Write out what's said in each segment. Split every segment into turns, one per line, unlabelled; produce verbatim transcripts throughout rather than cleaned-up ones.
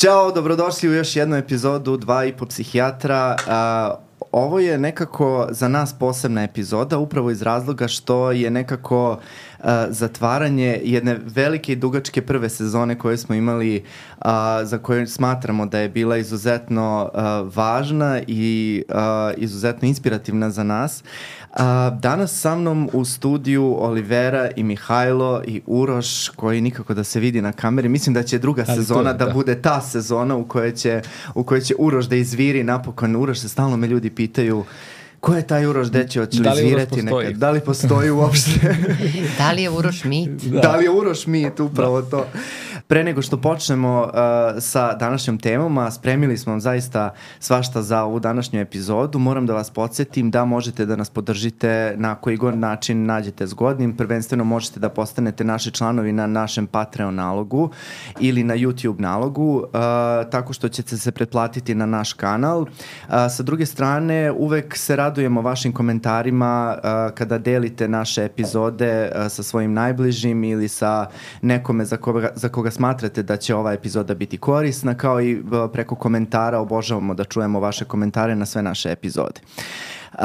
Ćao, dobrodošli u još jednu epizodu Dva i po psihijatra. Uh, ovo je nekako za nas posebna epizoda, upravo iz razloga što je nekako uh, zatvaranje jedne velike i dugačke prve sezone koje smo imali, uh, za koju smatramo da je bila izuzetno uh, važna i uh, izuzetno inspirativna za nas. Uh, danas sa mnom u studiju Olivera i Mihajlo i Uroš, koji nikako da se vidi na kameri. Mislim da će druga Ali sezona je, da, da bude ta sezona u kojoj će, u kojoj će Uroš da izviri napokon. Uroš se stalno me ljudi pitaju ko je taj Uroš, gde će, hoće li izvirati nekad? Da li postoji uopšte?
Da li je Uroš mit?
Da. da li je Uroš mit, upravo da. To. Pre nego što počnemo uh, sa današnjom temom, a spremili smo vam zaista svašta za ovu današnju epizodu, moram da vas podsjetim da možete da nas podržite na koji god način nađete zgodnim. Prvenstveno možete da postanete naši članovi na našem Patreon nalogu ili na YouTube nalogu, uh, tako što ćete se pretplatiti na naš kanal. Uh, sa druge strane, uvek se radujemo vašim komentarima uh, kada delite naše epizode uh, sa svojim najbližim ili sa nekome za koga, za koga smatrate da će ova epizoda biti korisna, kao i preko komentara. Obožavamo da čujemo vaše komentare na sve naše epizode. Uh,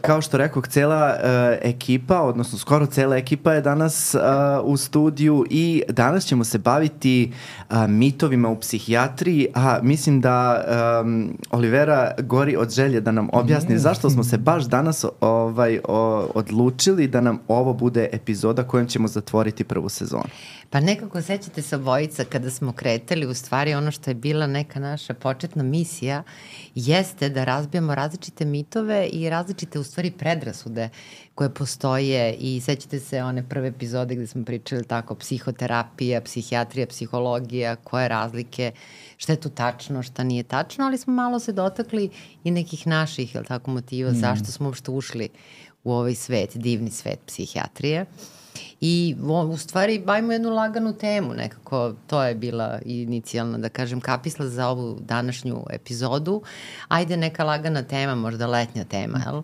kao što rekao, cela uh, ekipa, odnosno skoro cela ekipa je danas uh, u studiju i danas ćemo se baviti uh, mitovima u psihijatriji, a mislim da um, Olivera gori od želje da nam objasni mm. zašto smo se baš danas ovaj, o, odlučili da nam ovo bude epizoda kojom ćemo zatvoriti prvu sezonu.
Pa nekako sećate se obojica kada smo kretali, u stvari ono što je bila neka naša početna misija jeste da razbijamo različite mitove i različite u stvari predrasude koje postoje i sećate se one prve epizode gde smo pričali tako psihoterapija, psihijatrija, psihologija, koje razlike, šta je tu tačno, šta nije tačno, ali smo malo se dotakli i nekih naših, jel tako, motiva mm. zašto smo uopšte ušli u ovaj svet, divni svet psihijatrije. I u stvari bavimo jednu laganu temu, nekako to je bila inicijalna, da kažem, kapisla za ovu današnju epizodu. Ajde neka lagana tema, možda letnja tema, jel?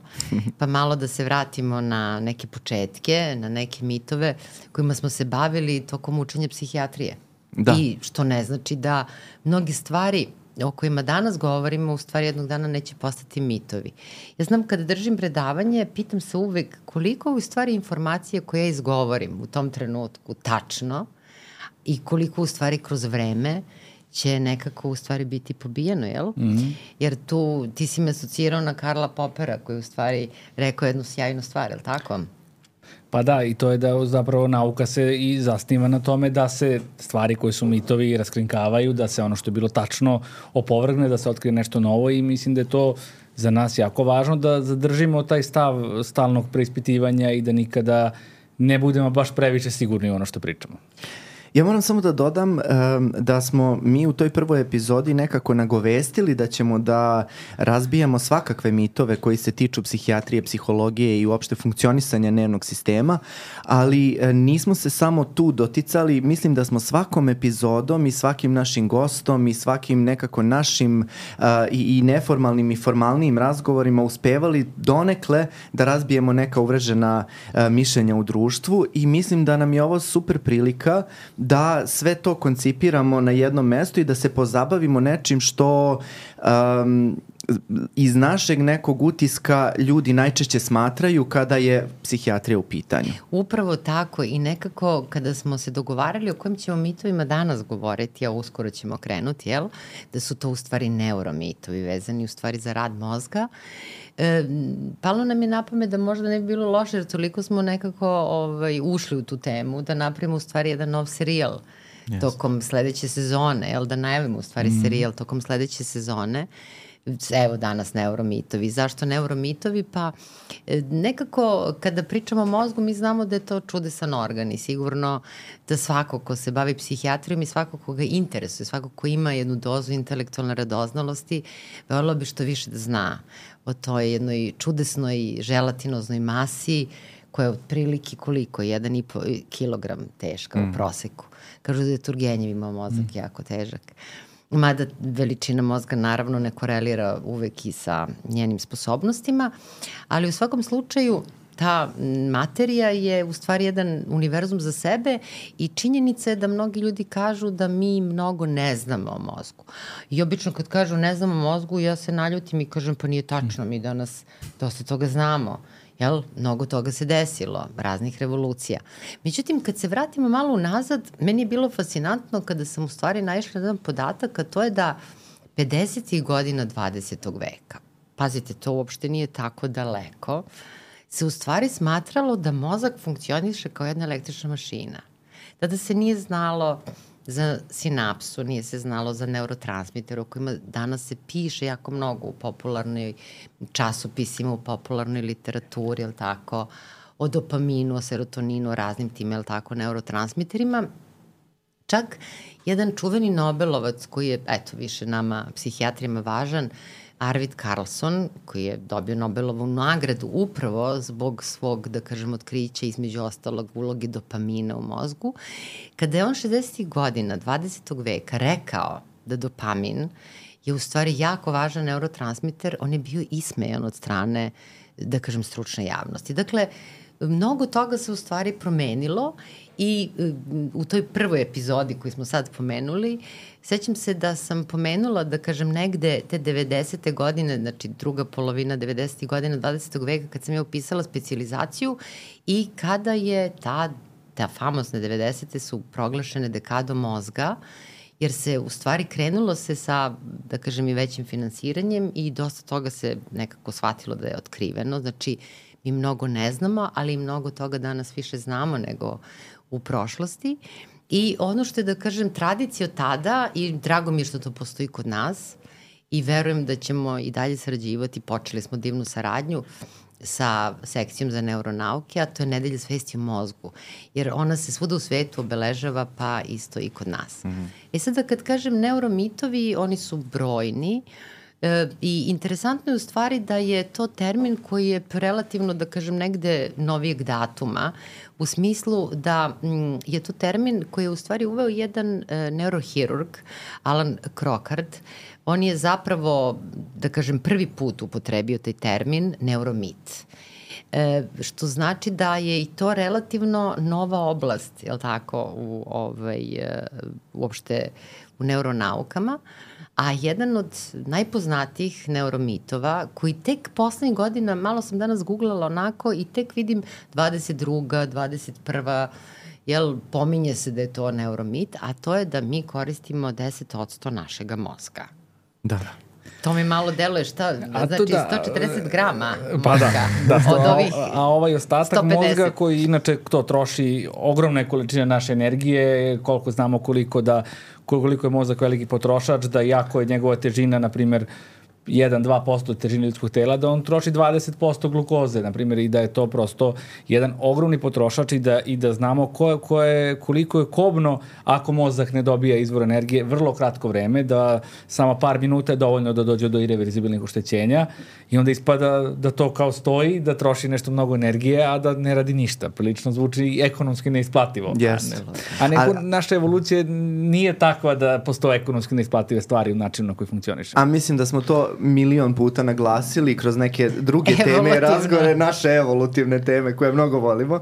Pa malo da se vratimo na neke početke, na neke mitove kojima smo se bavili tokom učenja psihijatrije. Da. I što ne znači da mnogi stvari o kojima danas govorimo u stvari jednog dana neće postati mitovi. Ja znam kada držim predavanje, pitam se uvek koliko u stvari informacije koje ja izgovorim u tom trenutku tačno i koliko u stvari kroz vreme će nekako u stvari biti pobijeno, jel? Mm-hmm. Jer tu ti si me asocirao na Karla Popera koji u stvari rekao jednu sjajnu stvar, jel tako?
Pa da, i to je da zapravo nauka se i zasniva na tome da se stvari koje su mitovi raskrinkavaju, da se ono što je bilo tačno opovrgne, da se otkrije nešto novo i mislim da je to za nas jako važno da zadržimo taj stav stalnog preispitivanja i da nikada ne budemo baš previše sigurni u ono što pričamo.
Ja moram samo da dodam um, da smo mi u toj prvoj epizodi nekako nagovestili da ćemo da razbijamo svakakve mitove koji se tiču psihijatrije, psihologije i uopšte funkcionisanja nervnog sistema, ali uh, nismo se samo tu doticali. Mislim da smo svakom epizodom i svakim našim gostom i svakim nekako našim uh, i, i neformalnim i formalnim razgovorima uspevali donekle da razbijemo neka uvrežena uh, mišljenja u društvu i mislim da nam je ovo super prilika da sve to koncipiramo na jednom mestu i da se pozabavimo nečim što um, iz našeg nekog utiska ljudi najčešće smatraju kada je psihijatrija u pitanju.
Upravo tako i nekako kada smo se dogovarali o kojim ćemo mitovima danas govoriti, a uskoro ćemo krenuti, jel? Da su to u stvari neuromitovi vezani u stvari za rad mozga. E, palo nam je na pamet da možda ne bi bilo loše jer toliko smo nekako ovaj, ušli u tu temu da napravimo u stvari jedan nov serijal yes. tokom sledeće sezone, jel? Da najavimo u stvari mm. serijal tokom sledeće sezone. Evo danas neuromitovi. Zašto neuromitovi? Pa nekako kada pričamo o mozgu mi znamo da je to čudesan organ i sigurno da svako ko se bavi psihijatrijom i svako ko ga interesuje, svako ko ima jednu dozu intelektualne radoznalosti, voljela bi što više da zna o toj jednoj čudesnoj želatinoznoj masi koja je otprilike koliko? jedan i po kilogram teška mm. u proseku. Kažu da je Turgenjev imao mozak mm. jako težak. Mada veličina mozga naravno ne korelira uvek i sa njenim sposobnostima, ali u svakom slučaju ta materija je u stvari jedan univerzum za sebe i činjenica je da mnogi ljudi kažu da mi mnogo ne znamo o mozgu. I obično kad kažu ne znamo o mozgu, ja se naljutim i kažem pa nije tačno, mi danas dosta toga znamo. Jel? Mnogo toga se desilo, raznih revolucija. Međutim, kad se vratimo malo unazad, meni je bilo fascinantno kada sam u stvari naišla na jedan podatak, a to je da pedesetih godina dvadesetog veka, pazite, to uopšte nije tako daleko, se u stvari smatralo da mozak funkcioniše kao jedna električna mašina. Tada se nije znalo za sinapsu, nije se znalo za neurotransmitere o kojima danas se piše jako mnogo u popularnoj časopisima, u popularnoj literaturi, jel tako, o dopaminu, o serotoninu, o raznim tim, jel tako, neurotransmiterima. Čak jedan čuveni Nobelovac koji je, eto, više nama psihijatrima važan, Arvid Carlson, koji je dobio Nobelovu nagradu upravo zbog svog, da kažem, otkrića između ostalog ulogi dopamina u mozgu, kada je on šezdesetih godina dvadesetog veka rekao da dopamin je u stvari jako važan neurotransmiter, on je bio ismejan od strane, da kažem, stručne javnosti. Dakle, mnogo toga se u stvari promenilo i u toj prvoj epizodi koju smo sad pomenuli, sećam se da sam pomenula, da kažem, negde te devedesete godine, znači druga polovina devedesetih godina dvadesetog veka, kad sam ja upisala specijalizaciju i kada je ta, ta famosne devedesete su proglašene dekadom mozga, jer se u stvari krenulo se sa, da kažem, i većim finansiranjem i dosta toga se nekako shvatilo da je otkriveno. Znači, mi mnogo ne znamo, ali mnogo toga danas više znamo nego u prošlosti. I ono što je, da kažem, tradicija od tada, i drago mi je što to postoji kod nas, i verujem da ćemo i dalje sarađivati, počeli smo divnu saradnju sa sekcijom za neuronauke, a to je Nedelja svesti o mozgu, jer ona se svuda u svetu obeležava, pa isto i kod nas. Mm-hmm. E sada kad kažem neuromitovi, oni su brojni, E, i interesantno je u stvari da je to termin koji je relativno, da kažem, negde novijeg datuma, u smislu da m, je to termin koji je u stvari uveo jedan e, neurohirurg, Alan Crocard. On je zapravo, da kažem, prvi put upotrebio taj termin neuromit. E, što znači da je i to relativno nova oblast, je li tako, u, ovaj, e, uopšte u neuronaukama. A jedan od najpoznatijih neuromitova, koji tek poslednjih godina, malo sam danas googlala onako i tek vidim dvadeset druga, dvadeset prva, jel, pominje se da je to neuromit, a to je da mi koristimo deset odsto našega mozga.
Da.
To mi malo deluje šta, a znači da, sto četrdeset grama
pa
mozga.
Da, da,
od ovih
a, a ovaj ostatak
sto pedeset
mozga koji inače to troši ogromne količine naše energije, koliko znamo koliko da koliko je mozak veliki potrošač, da jako je njegova težina, na primjer, jedan do dva posto težine ljudskog tela, da on troši dvadeset posto glukoze, na primjer, i da je to prosto jedan ogromni potrošač i da, i da znamo ko, ko je, koliko je kobno ako mozak ne dobija izvor energije vrlo kratko vreme, da samo par minuta je dovoljno da dođe do irreverzibilnih oštećenja i onda ispada da to kao stoji, da troši nešto mnogo energije, a da ne radi ništa. Prilično zvuči ekonomski neisplativo.
Yes.
A neko, a, naša evolucija nije takva da postoje ekonomski neisplative stvari u načinu na koji funkcioniše.
A mislim da smo to milion puta naglasili kroz neke druge teme i razgovore, naše evolutivne teme koje mnogo volimo.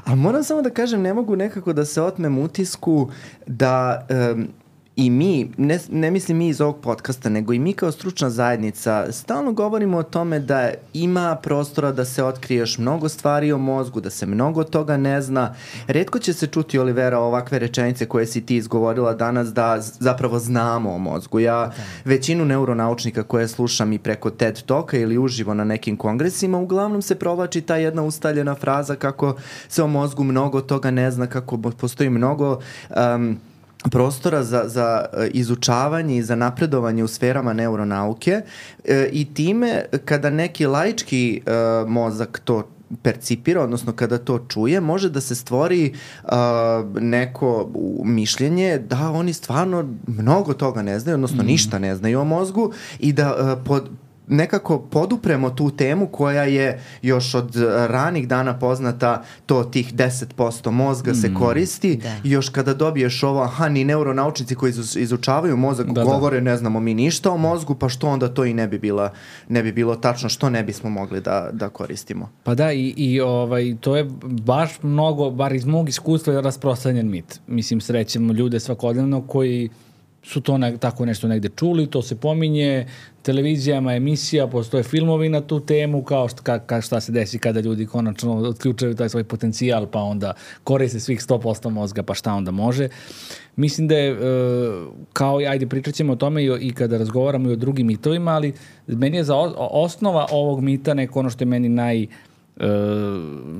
Ali moram samo da kažem, ne mogu nekako da se otmem utisku da um, i mi, ne, ne mislim mi iz ovog podcasta, nego i mi kao stručna zajednica stalno govorimo o tome da ima prostora da se otkrije još mnogo stvari o mozgu, da se mnogo toga ne zna. Retko će se čuti, Olivera, ovakve rečenice koje si ti izgovorila danas da zapravo znamo o mozgu. Ja da. većinu neuronaučnika koje slušam i preko TED Talka ili uživo na nekim kongresima, uglavnom se provlači ta jedna ustaljena fraza kako se o mozgu mnogo toga ne zna, kako postoji mnogo um, prostora za, za izučavanje i za napredovanje u sferama neuronauke e, i time kada neki laički e, mozak to percipira, odnosno kada to čuje, može da se stvori uh, neko mišljenje da oni stvarno mnogo toga ne znaju, odnosno mm. ništa ne znaju o mozgu i da uh, pod nekako podupremo tu temu koja je još od ranih dana poznata, to tih deset posto mozga se koristi
Da.
i još kada dobiješ ovo, aha, ni neuronaučnici koji izu- izučavaju mozak
Da, da.
govore ne znamo mi ništa o mozgu, pa što onda to i ne bi, bila, ne bi bilo tačno, što ne bismo mogli da, da koristimo.
Pa da, i, i ovaj, to je baš mnogo, bar iz mog iskustva, je rasprostranjen mit. Mislim, srećemo ljude svakodnevno koji su to ne, tako nešto negde čuli, to se pominje, televizijama, emisija, postoje filmovi na tu temu, kao šta, ka, ka, šta se desi kada ljudi konačno otključaju taj svoj potencijal, pa onda koriste svih sto posto mozga, pa šta onda može. Mislim da je, e, kao i, ajde, pričat ćemo o tome i, o, i kada razgovaramo i o drugim mitovima, ali meni je za o, osnova ovog mita neko ono što je meni naj, e,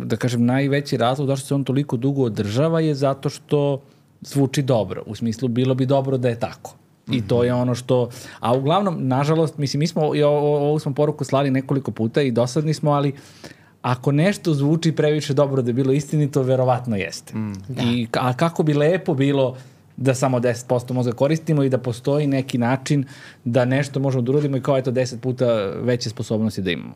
da kažem, najveći razlog zašto se on toliko dugo održava je zato što zvuči dobro. U smislu, bilo bi dobro da je tako. I to je ono što... A uglavnom, nažalost, mislim, mi smo, i ovo, ovo smo poruku slali nekoliko puta i dosadni smo, ali ako nešto zvuči previše dobro da je bilo istinito, verovatno jeste.
Mm.
I, a kako bi lepo bilo da samo deset posto mozga koristimo i da postoji neki način da nešto možemo da uradimo i kao eto deset puta veće sposobnosti da imamo.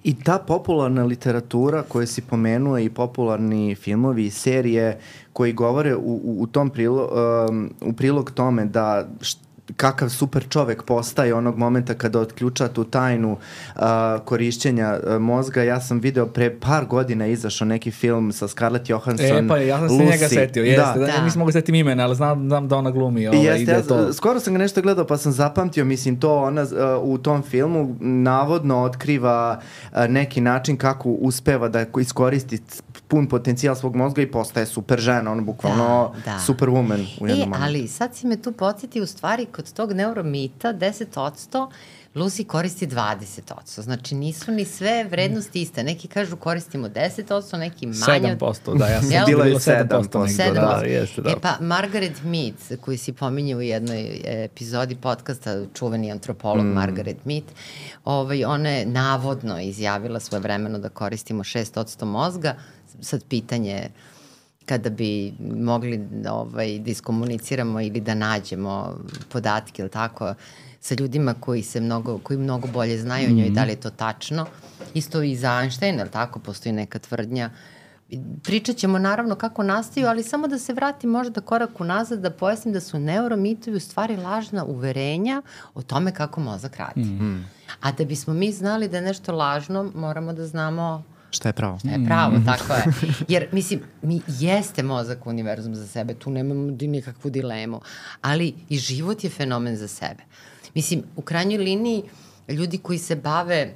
I ta popularna literatura koju si pomenuo i popularni filmovi i serije koji govore u, u, u tom prilo, um, u prilog tome da št, kakav super čovek postaje onog momenta kada otključa tu tajnu uh, korišćenja uh, mozga. Ja sam video pre par godina izašao neki film sa Scarlett Johansson.
E, pa ja sam se
Lucy.
njega setio, jeste.
Da.
Da,
Da.
nisam mogu setim imena, ali znam, znam da ona glumi. Ovaj,
Jeste,
da
ja,
to...
skoro sam ga nešto gledao pa sam zapamtio, mislim to ona uh, u tom filmu navodno otkriva uh, neki način kako uspeva da iskoristi pun potencijal svog mozga i postaje super žena, ono bukvalno
Da, da.
superwoman u jednom
E,
momentu.
ali sad si me tu podsjeti, u stvari kod tog neuromita deset posto Lucy koristi dvadeset posto. Znači nisu ni sve vrednosti iste. Neki kažu koristimo deset posto, neki manje.
sedam posto, da, ja sam
Jel?
Bila je
bilo sedam posto.
sedam posto.
negde,
sedam
da,
posto.
da, jeste, da.
E pa, Margaret Mead, koji si pominje u jednoj epizodi podcasta, čuveni antropolog mm. Margaret Mead, ovaj, ona je navodno izjavila svoje vremeno da koristimo šest posto mozga. Sad pitanje kada bi mogli ovaj, da iskomuniciramo ili da nađemo podatke ili tako sa ljudima koji se mnogo, koji mnogo bolje znaju o njoj, mm-hmm. da li je to tačno. Isto i za Einsteina, ili tako, postoji neka tvrdnja. Pričat ćemo naravno kako nastaju, ali samo da se vratim možda korak unazad, da pojasnim da su neuromitovi u stvari lažna uverenja o tome kako mozak radi. Mm-hmm. A da bismo mi znali da je nešto lažno, moramo da znamo
Šta je pravo?
šta je pravo, mm. tako je. Jer, mislim, mi jeste mozak univerzum za sebe, tu nemamo nikakvu dilemu, ali i život je fenomen za sebe. Mislim, u krajnjoj liniji, ljudi koji se bave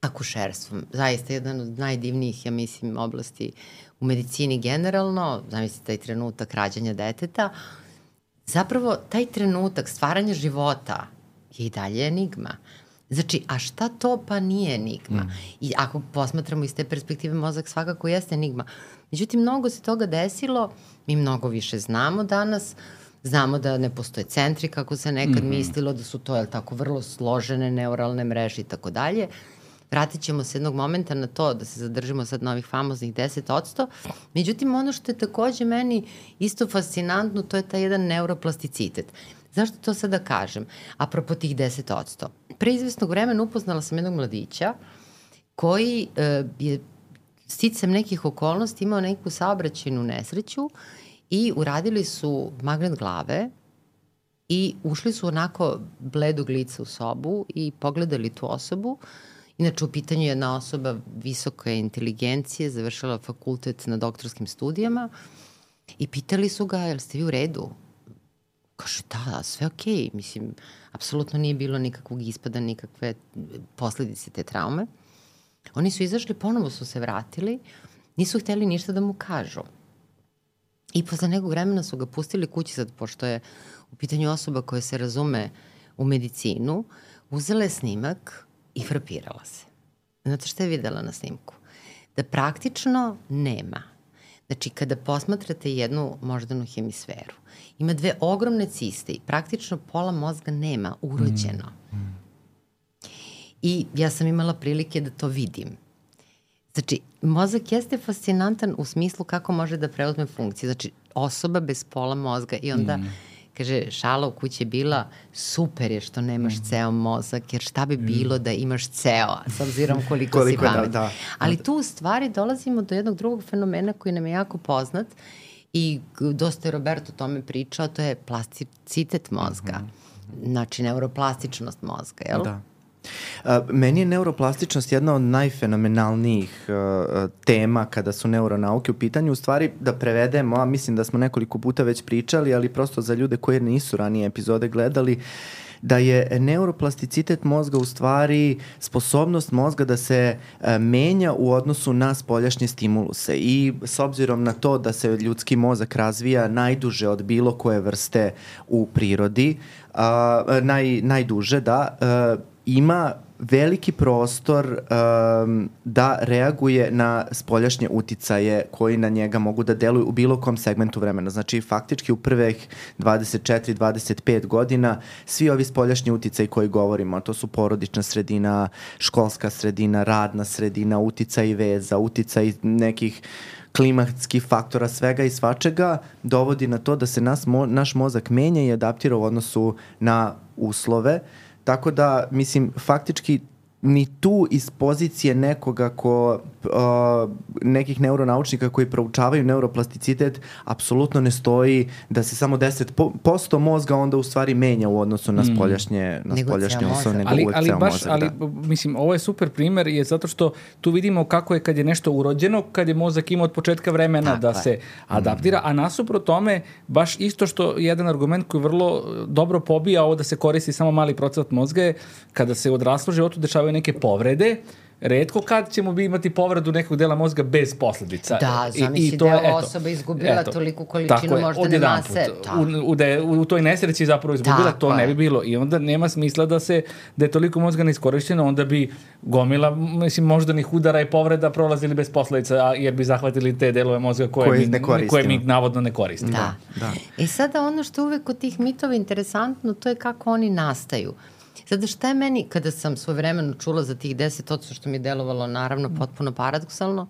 akušerstvom, zaista jedan od najdivnijih, ja mislim, oblasti u medicini generalno, zamislite taj trenutak rađanja deteta, zapravo taj trenutak stvaranja života je i dalje enigma. Znači, a šta to pa nije enigma? Mm. I ako posmatramo iz te perspektive, mozak svakako jeste enigma. Međutim, mnogo se toga desilo, mi mnogo više znamo danas, znamo da ne postoje centri kako se nekad mm-hmm. mislilo, da su to, jel tako, vrlo složene neuralne mreže i tako dalje. Vratit ćemo se jednog momenta na to da se zadržimo sad na ovih famoznih deset posto. Međutim, ono što je takođe meni isto fascinantno, to je taj jedan neuroplasticitet. Zašto to sada kažem? Apropo tih deset posto. Pre izvesnog vremena upoznala sam jednog mladića koji e, je sticam nekih okolnosti imao neku saobraćajnu nesreću i uradili su magnet glave i ušli su onako bledog lica u sobu i pogledali tu osobu. Inače, u pitanju je jedna osoba visoke inteligencije, završila fakultet na doktorskim studijama i pitali su ga, jel ste vi u redu? Kaže, da, da, sve okej. Okay. Mislim, apsolutno nije bilo nikakvog ispada, nikakve posledice te traume. Oni su izašli, ponovo su se vratili, nisu hteli ništa da mu kažu. I posle nekog vremena su ga pustili kući, sad, pošto je u pitanju osoba koja se razume u medicinu, uzela je snimak i frapirala se. Znate šta je videla na snimku? Da praktično nema. Znači, kada posmatrate jednu moždanu hemisferu, ima dve ogromne ciste i praktično pola mozga nema, urođeno. Mm. Mm. I ja sam imala prilike da to vidim. Znači, mozak jeste fascinantan u smislu kako može da preuzme funkcije. Znači, osoba bez pola mozga i onda mm. Kaže, šala u kući je bila, super je što nemaš mm. ceo mozak, jer šta bi bilo mm. da imaš ceo, s obzirom koliko, koliko si pamet. Da, da. Ali tu u stvari dolazimo do jednog drugog fenomena koji nam je jako poznat i dosta je Roberto o tome pričao, to je plasticitet mozga. Mm-hmm. Znači, neuroplastičnost mozga, jel?
Da. Uh, meni je neuroplastičnost jedna od najfenomenalnijih uh, tema kada su neuronauke u pitanju. U stvari, da prevedemo, a mislim da smo nekoliko puta već pričali, ali prosto za ljude koji nisu ranije epizode gledali, da je neuroplasticitet mozga u stvari sposobnost mozga da se uh, menja u odnosu na spoljašnje stimuluse. I s obzirom na to da se ljudski mozak razvija najduže od bilo koje vrste u prirodi, uh, naj, najduže, da, uh, ima veliki prostor um, da reaguje na spoljašnje uticaje koji na njega mogu da deluju u bilo kom segmentu vremena. Znači, faktički u prvih dvadeset četiri do dvadeset pet godina svi ovi spoljašnji uticaji koji govorimo, to su porodična sredina, školska sredina, radna sredina, uticaj veza, uticaj nekih klimatskih faktora, svega i svačega, dovodi na to da se nas, mo, naš mozak menja i adaptira u odnosu na uslove. Tako da, mislim, faktički ni tu iz pozicije nekoga ko, uh, nekih neuronaučnika koji proučavaju neuroplasticitet, apsolutno ne stoji da se samo deset posto mozga onda u stvari menja u odnosu na spoljašnje, na spoljašnje uslove, nego
ali,
uvek
ali
ceo
baš,
mozak.
ali,
da.
Mislim, ovo je super primer je zato što tu vidimo kako je kad je nešto urođeno, kad je mozak imao od početka vremena tako da je. se adaptira, a nasuprot tome, baš isto što jedan argument koji vrlo dobro pobija ovo da se koristi samo mali procenat mozga je kada se u odraslom životu dešavaju neke povrede, retko kad ćemo bi imati povredu nekog dela mozga bez posledica.
Da, zamisli da je osoba izgubila eto, toliku količinu moždane mase.
U, u, da u, u toj nesreći zapravo izgubila, tako to ne bi bilo. I onda nema smisla da se da je toliko mozga neiskorišćeno, onda bi gomila, mislim, moždanih udara i povreda prolazili bez posledica, jer bi zahvatili te delove mozga koje, koje, mi, koje mi navodno ne koristimo.
Da. da. I sada ono što uvek kod tih mitova interesantno, to je kako oni nastaju. Sada šta je meni, kada sam svojevremeno čula za tih deset odsto što mi je delovalo naravno potpuno paradoksalno,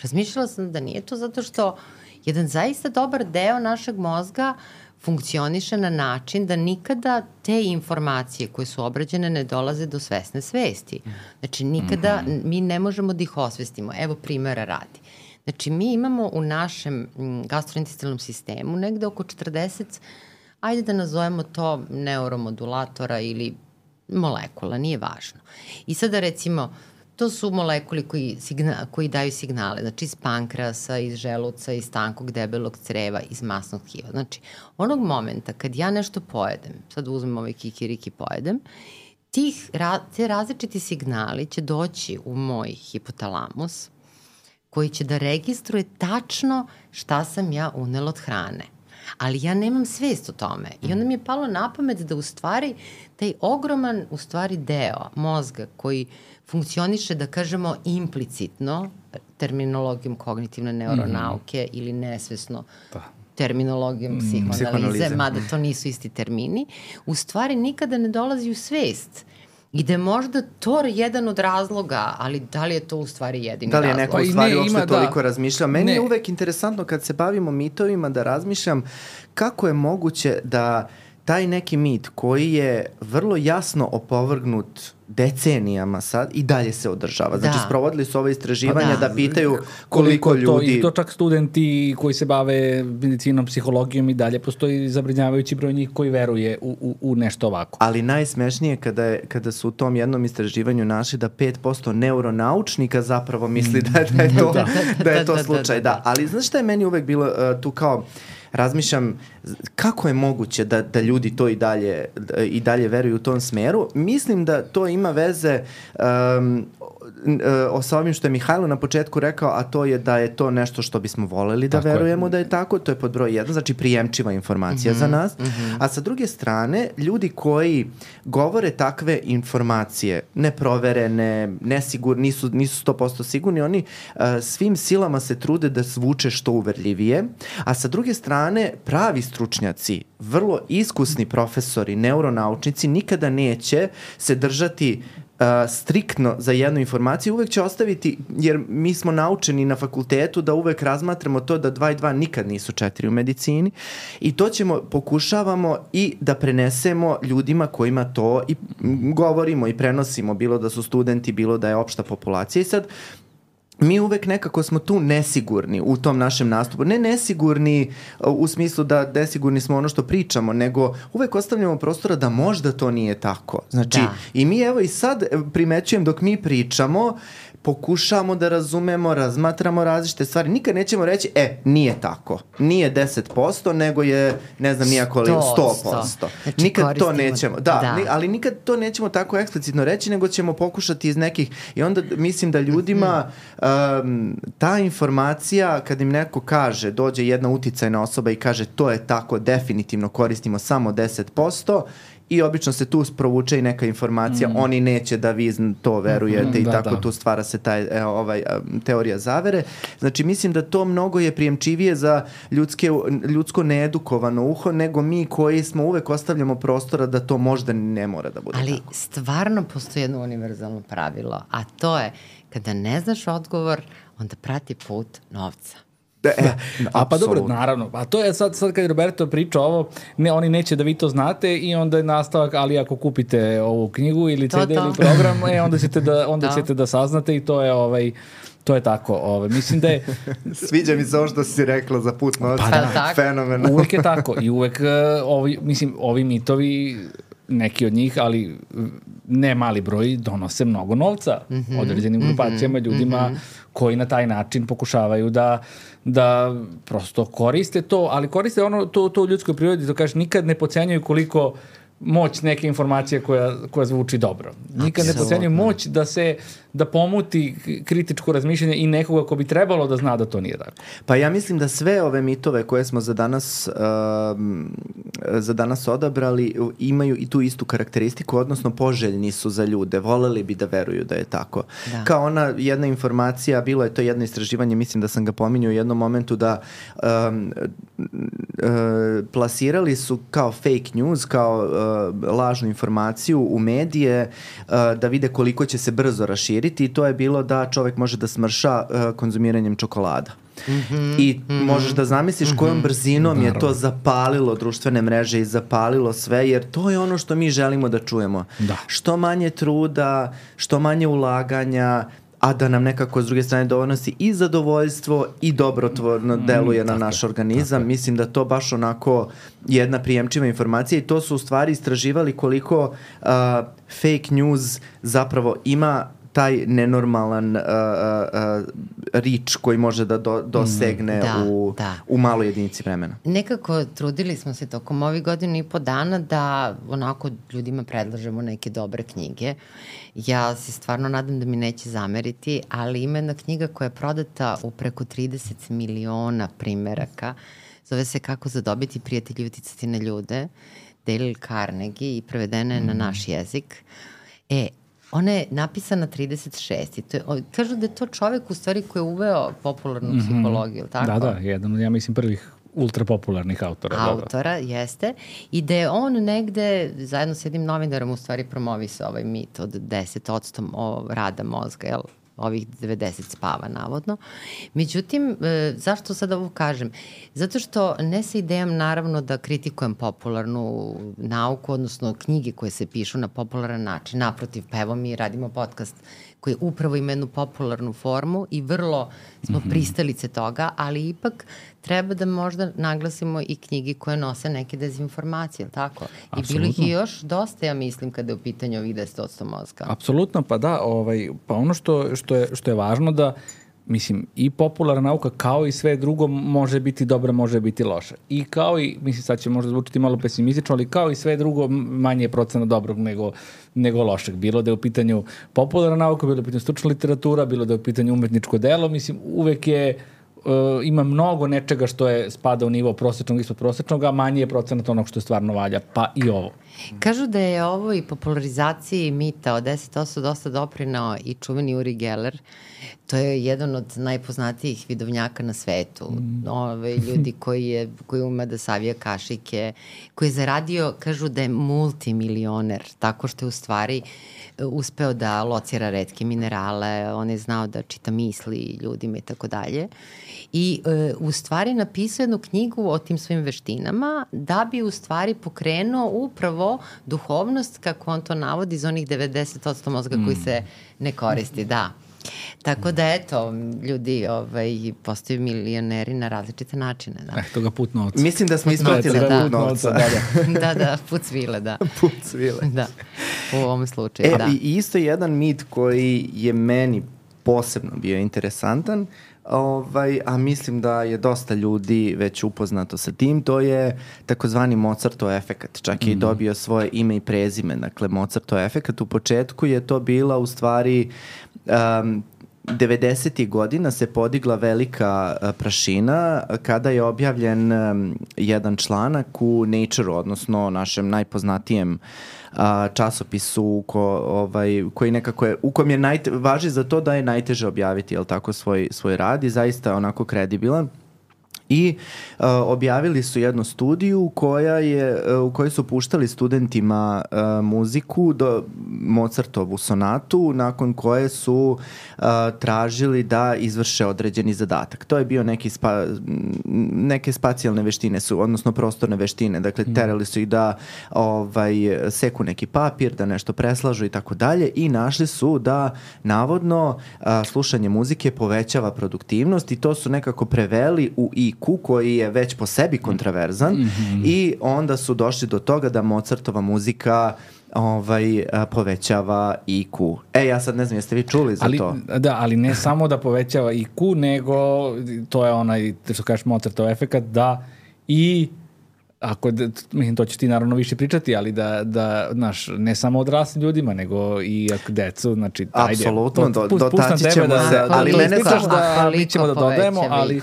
razmišljala sam da nije to zato što jedan zaista dobar deo našeg mozga funkcioniše na način da nikada te informacije koje su obrađene ne dolaze do svesne svesti. Znači nikada mi ne možemo da ih osvestimo. Evo primjera radi. Znači mi imamo u našem gastrointestinalnom sistemu negde oko četrdeset, ajde da nazovemo to neuromodulatora ili molekula, nije važno. I sada recimo, to su molekuli koji, signa, koji daju signale, znači iz pankreasa, iz želuca, iz tankog debelog creva, iz masnog tkiva. Znači, onog momenta kad ja nešto pojedem, sad uzmem ovaj kikiriki pojedem, tih, te različiti signali će doći u moj hipotalamus, koji će da registruje tačno šta sam ja unela od hrane. Ali ja nemam svest o tome. I onda mi je palo na pamet da u stvari taj ogroman u stvari deo mozga koji funkcioniše, da kažemo, implicitno, terminologijom kognitivne neuronauke mm. ili nesvesno da. terminologijom mm, psihoanalize, mada to nisu isti termini, u stvari nikada ne dolazi u svest. I da je možda to jedan od razloga, ali da li je to u stvari jedini razlog?
Da li je neko
razlog?
u stvari uopšte toliko da. razmišljao? Meni ne. je uvek interesantno kad se bavimo mitovima da razmišljam kako je moguće da taj neki mit koji je vrlo jasno opovrgnut decenijama sad i dalje se održava. Znači, da. sprovodili su ove istraživanja da. da pitaju koliko, koliko ljudi...
To, I to čak studenti koji se bave medicinom, psihologijom i dalje, postoji zabrinjavajući broj njih koji veruje u, u, u nešto ovako.
Ali najsmešnije kada, je, kada su u tom jednom istraživanju našli da pet posto neuronaučnika zapravo misli da, da je to, da. da je to slučaj. Da. Ali znaš šta je meni uvek bilo uh, tu kao... razmišljam kako je moguće da, da ljudi to i dalje, i dalje veruju u tom smeru. Mislim da to ima veze um, o sa ovim što je Mihajlo na početku rekao, a to je da je to nešto što bismo voleli da tako verujemo je. da je tako. To je pod broj jedan, znači prijemčiva informacija mm-hmm, za nas. Mm-hmm. A sa druge strane, ljudi koji govore takve informacije, neproverene, nesigur, nisu, nisu sto posto sigurni, oni uh, svim silama se trude da zvuče što uverljivije. A sa druge strane, pravi stručnjaci, vrlo iskusni profesori, neuronaučnici, nikada neće se držati uh, striktno za jednu informaciju, uvek će ostaviti, jer mi smo naučeni na fakultetu da uvek razmatramo to da dva i dva nikad nisu četiri u medicini i to ćemo, pokušavamo i da prenesemo ljudima kojima to i govorimo i prenosimo, bilo da su studenti, bilo da je opšta populacija. I sad mi uvek nekako smo tu nesigurni u tom našem nastupu. Ne nesigurni u smislu da nesigurni smo ono što pričamo, nego uvek ostavljamo prostora da možda to nije tako. Znači, da. I mi evo i sad primećujem dok mi pričamo, pokušamo da razumemo, razmatramo različite stvari. Nikad nećemo reći, e, nije tako. Nije deset posto, nego je, ne znam, nijako li sto posto. Znači, nikad to nećemo. Da, da. Ni, ali nikad to nećemo tako eksplicitno reći, nego ćemo pokušati iz nekih... I onda mislim da ljudima um, ta informacija, kad im neko kaže, dođe jedna uticajna osoba i kaže to je tako, definitivno koristimo samo deset posto, i obično se tu provuče i neka informacija, mm. oni neće da vi to verujete mm, i da, tako da. Tu stvara se taj, e, ovaj, teorija zavere. Znači, mislim da to mnogo je prijemčivije za ljudske, ljudsko needukovano uho, nego mi koji smo uvek ostavljamo prostora da to možda ne mora da bude
ali
tako.
Ali stvarno postoji jedno univerzalno pravilo, a to je kada ne znaš odgovor, onda prati put novca.
Da, e, da, a pa dobro, naravno. A to je sad, sad kad je Roberto priča ovo, ne, oni neće da vi to znate i onda je nastavak, ali ako kupite ovu knjigu ili
to,
ce de
to.
ili program, e, onda ćete da, onda da. ćete da saznate i to je ovaj... To je tako. Ovaj. Mislim da je...
Sviđa mi se ovo što si rekla za put novca.
Pa
da,
fenomenalno.
Uvek je tako. I uvek, ovi, mislim, ovi mitovi, neki od njih, ali ne mali broj, donose mnogo novca mm-hmm, određenim grupacijama, mm-hmm, ljudima mm-hmm. koji na taj način pokušavaju da, da prosto koriste to, ali koriste ono, to, to u ljudskoj prirodi, to kažeš, nikad ne podcenjuju koliko moć neke informacije koja, koja zvuči dobro. Nikad ne podcenjuju moć da se da pomuti kritičko razmišljanje i nekoga ko bi trebalo da zna da to nije tako.
Pa ja mislim da sve ove mitove koje smo za danas um, za danas odabrali imaju i tu istu karakteristiku, odnosno poželjni su za ljude. Voleli bi da veruju da je tako. Da. Kao ona jedna informacija, bilo je to jedno istraživanje, mislim da sam ga pominjao u jednom momentu, da um, uh, plasirali su kao fake news, kao uh, lažnu informaciju u medije uh, da vide koliko će se brzo raširiti i to je bilo da čovek može da smrša uh, konzumiranjem čokolada. Mm-hmm, I mm-hmm, možeš da zamisliš kojom mm-hmm, brzinom naravno. Je to zapalilo društvene mreže i zapalilo sve, jer to je ono što mi želimo da čujemo.
Da.
Što manje truda, što manje ulaganja, a da nam nekako s druge strane donosi i zadovoljstvo i dobrotvorno deluje mm, na naš organizam. Mislim da to baš onako jedna prijemčiva informacija i to su u stvari istraživali koliko uh, fake news zapravo ima taj nenormalan uh, uh, rič koji može da do, dosegne
da,
u,
da.
u maloj jedinici vremena.
Nekako trudili smo se tokom ovih godina i po dana da onako ljudima predlažemo neke dobre knjige. Ja se stvarno nadam da mi neće zameriti, ali ima jedna knjiga koja je prodata u preko trideset miliona primeraka. Zove se Kako zadobiti prijatelji i uticati na ljude. Dale Carnegie i prevedena je mm. na naš jezik. E, ona je napisana trideset šest i to je, kažu da je to čovek u stvari koji je uveo popularnu mm-hmm. psihologiju, tako?
Da, da, jedan, ja mislim, prvih ultra popularnih autora.
Autora,
da, da.
Jeste. I da je on negde, zajedno s jednim novinarom, u stvari promovisao ovaj mit od deset odsto rada mozga, jel? Ovih devedeset spava, navodno. Međutim, e, zašto sad ovo kažem? Zato što ne sa idejom, naravno, da kritikujem popularnu nauku, odnosno knjige koje se pišu na popularan način. Naprotiv, pa evo mi radimo podcast koji upravo ima jednu popularnu formu i vrlo smo mm-hmm. pristalice toga, ali ipak treba da možda naglasimo i knjige koje nose neke dezinformacije, ili tako? Apsolutno. I bilo ih i još dosta, ja mislim, kada je u pitanju ovih deset odsto mozga.
Apsolutno, pa da, ovaj, pa ono što, što, je, što je važno da, mislim, i popularna nauka kao i sve drugo može biti dobra, može biti loša. I kao i, mislim, sad će možda zvučiti malo pesimistično, ali kao i sve drugo manje je procena dobrog nego, nego lošeg. Bilo da je u pitanju popularna nauka, bilo da je u pitanju stručna literatura, bilo da je u pitanju umetničko delo, mislim, uvek je uh, ima mnogo nečega što je spada u nivo prosječnog ispod prosječnog, a manji je procenat onog što je stvarno valja, pa i ovo.
Kažu da je ovo i popularizaciji mita od deset posto dosta doprinao i čuveni Uri Geller. To je jedan od najpoznatijih vidovnjaka na svetu. Mm. Ove, ljudi koji, je, koji ume da savija kašike, koji je zaradio, kažu da je multimilioner, tako što je u stvari uspeo da locira retke minerale, on je znao da čita misli ljudima i tako dalje. I e, u stvari napisao jednu knjigu o tim svojim veštinama da bi u stvari pokrenuo upravo duhovnost, kako on to navodi, za onih devedeset posto mozga mm. koji se ne koristi, da. Tako da, eto, ljudi ovaj, postaju milioneri na različite načine. Da.
Eh, toga put novca.
Mislim da smo isplatili
da,
put novca. Da,
da. da, da, put svile, da.
Put svile.
Da, u ovom slučaju,
e,
da.
I isto jedan mit koji je meni posebno bio interesantan, ovaj, a mislim da je dosta ljudi već upoznato sa tim, to je takozvani Mozartov efekat. Čak je i dobio svoje ime i prezime. Dakle, Mozartov efekat u početku je to bila u stvari... Um, devedesetih godina se podigla velika uh, prašina kada je objavljen um, jedan članak u Nature, odnosno našem najpoznatijem uh, časopisu ko, ovaj, koji nekako je, u kojem je najte, važi za to da je najteže objaviti, jel tako, svoj, svoj rad i zaista onako kredibilan. I uh, objavili su jednu studiju koja je, uh, u kojoj su puštali studentima uh, muziku do Mozartovu sonatu, nakon koje su uh, tražili da izvrše određeni zadatak. To je bio neki spa, neke spacijalne veštine su, odnosno prostorne veštine. Dakle, terali su ih da ovaj, seku neki papir, da nešto preslažu i tako dalje i našli su da navodno uh, slušanje muzike povećava produktivnost i to su nekako preveli u I Q koji je već po sebi kontraverzan mm-hmm. i onda su došli do toga da Mozartova muzika ovaj, povećava I Q. E, ja sad ne znam, jeste vi čuli za
ali,
to?
Da, ali ne samo da povećava I Q, nego to je onaj, što kažeš, Mozartov efekat, da i ako, mislim, to ćeš ti naravno više pričati, ali da, da znaš, ne samo odraslim ljudima, nego i decu, znači, ajde.
Apsolutno, do, dotaći ćemo
da,
se, ali mene
znaš da mi ćemo da dodajemo, ali...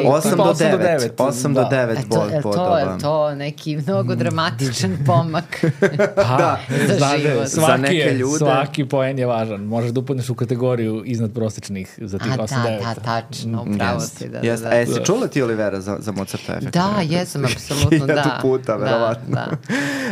osam do devet osam do devet bodova.
Je to neki mnogo dramatičan pomak
da, za život. Svaki,
za neke ljude.
Svaki poen je važan. Možeš da upadneš u kategoriju iznad prosječnih za tih osam do devet.
Da, da, tačno, upravo si. Da,
yes.
da,
da. E, si čula ti, Olivera, za, za Mozartov efekt?
Da, jesam, apsolutno, da.
Hiljadu puta, verovatno.
Da, da.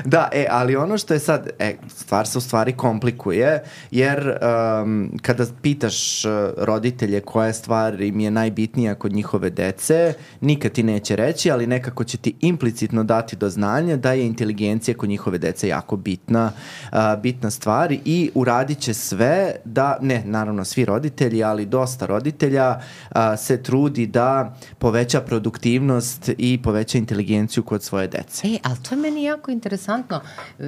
da, e, ali ono što je sad, e, stvar se u stvari komplikuje, jer um, kada pitaš roditelje koja stvar im je najbitnija kod njihove dece, nikad ti neće reći, ali nekako će ti implicitno dati do znanja da je inteligencija kod njihove dece jako bitna, uh, bitna stvar i uradit će sve da, ne, naravno svi roditelji, ali dosta roditelja uh, se trudi da poveća produktivnost i poveća inteligenciju kod svoje dece.
E, ali to je meni jako interesantno.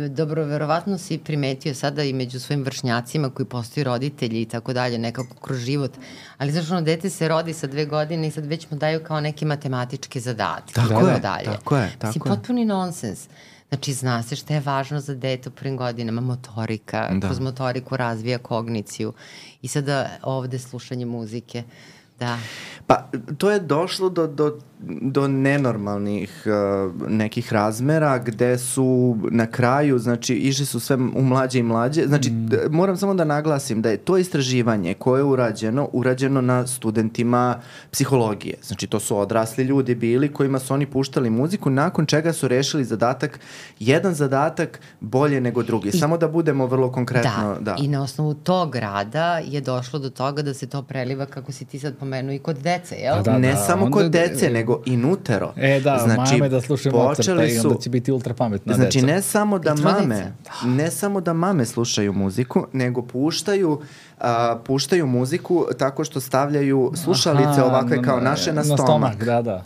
Dobro, verovatno si primetio sada i među svojim vršnjacima koji postaju roditelji i tako dalje, nekako kroz život, ali znaš, ono, dete se rodi sa dve godine i sad već mu daju kao neke matematičke zadatke.
Tako je,
dalje.
tako je. Tako
si potpuni nonsens. Znači, zna se šta je važno za dete u prvim godinama, motorika, da. Kroz motoriku razvija kogniciju i sada ovde slušanje muzike. Da.
Pa, to je došlo do, do, do nenormalnih uh, nekih razmera gde su na kraju, znači, išli su sve u mlađe i mlađe. Znači, mm. d- moram samo da naglasim da je to istraživanje koje je urađeno, urađeno na studentima psihologije. Znači, to su odrasli ljudi bili kojima su oni puštali muziku, nakon čega su rešili zadatak, jedan zadatak bolje nego drugi. I, samo da budemo vrlo konkretno.
Da, da, i na osnovu tog rada je došlo do toga da se to preliva, kako si ti sad pomenuo, i kod dece, jel?
Da, da, ne da, samo kod dece, nego i nutero.
E da, znači, mame da slušaju Mozarta i onda će biti ultra pametna deca.
Znači, ne samo da mame, ne samo da mame slušaju muziku, nego puštaju, uh, puštaju muziku tako što stavljaju slušalice Aha, ovakve kao naše na, na stomak.
stomak. Da, da.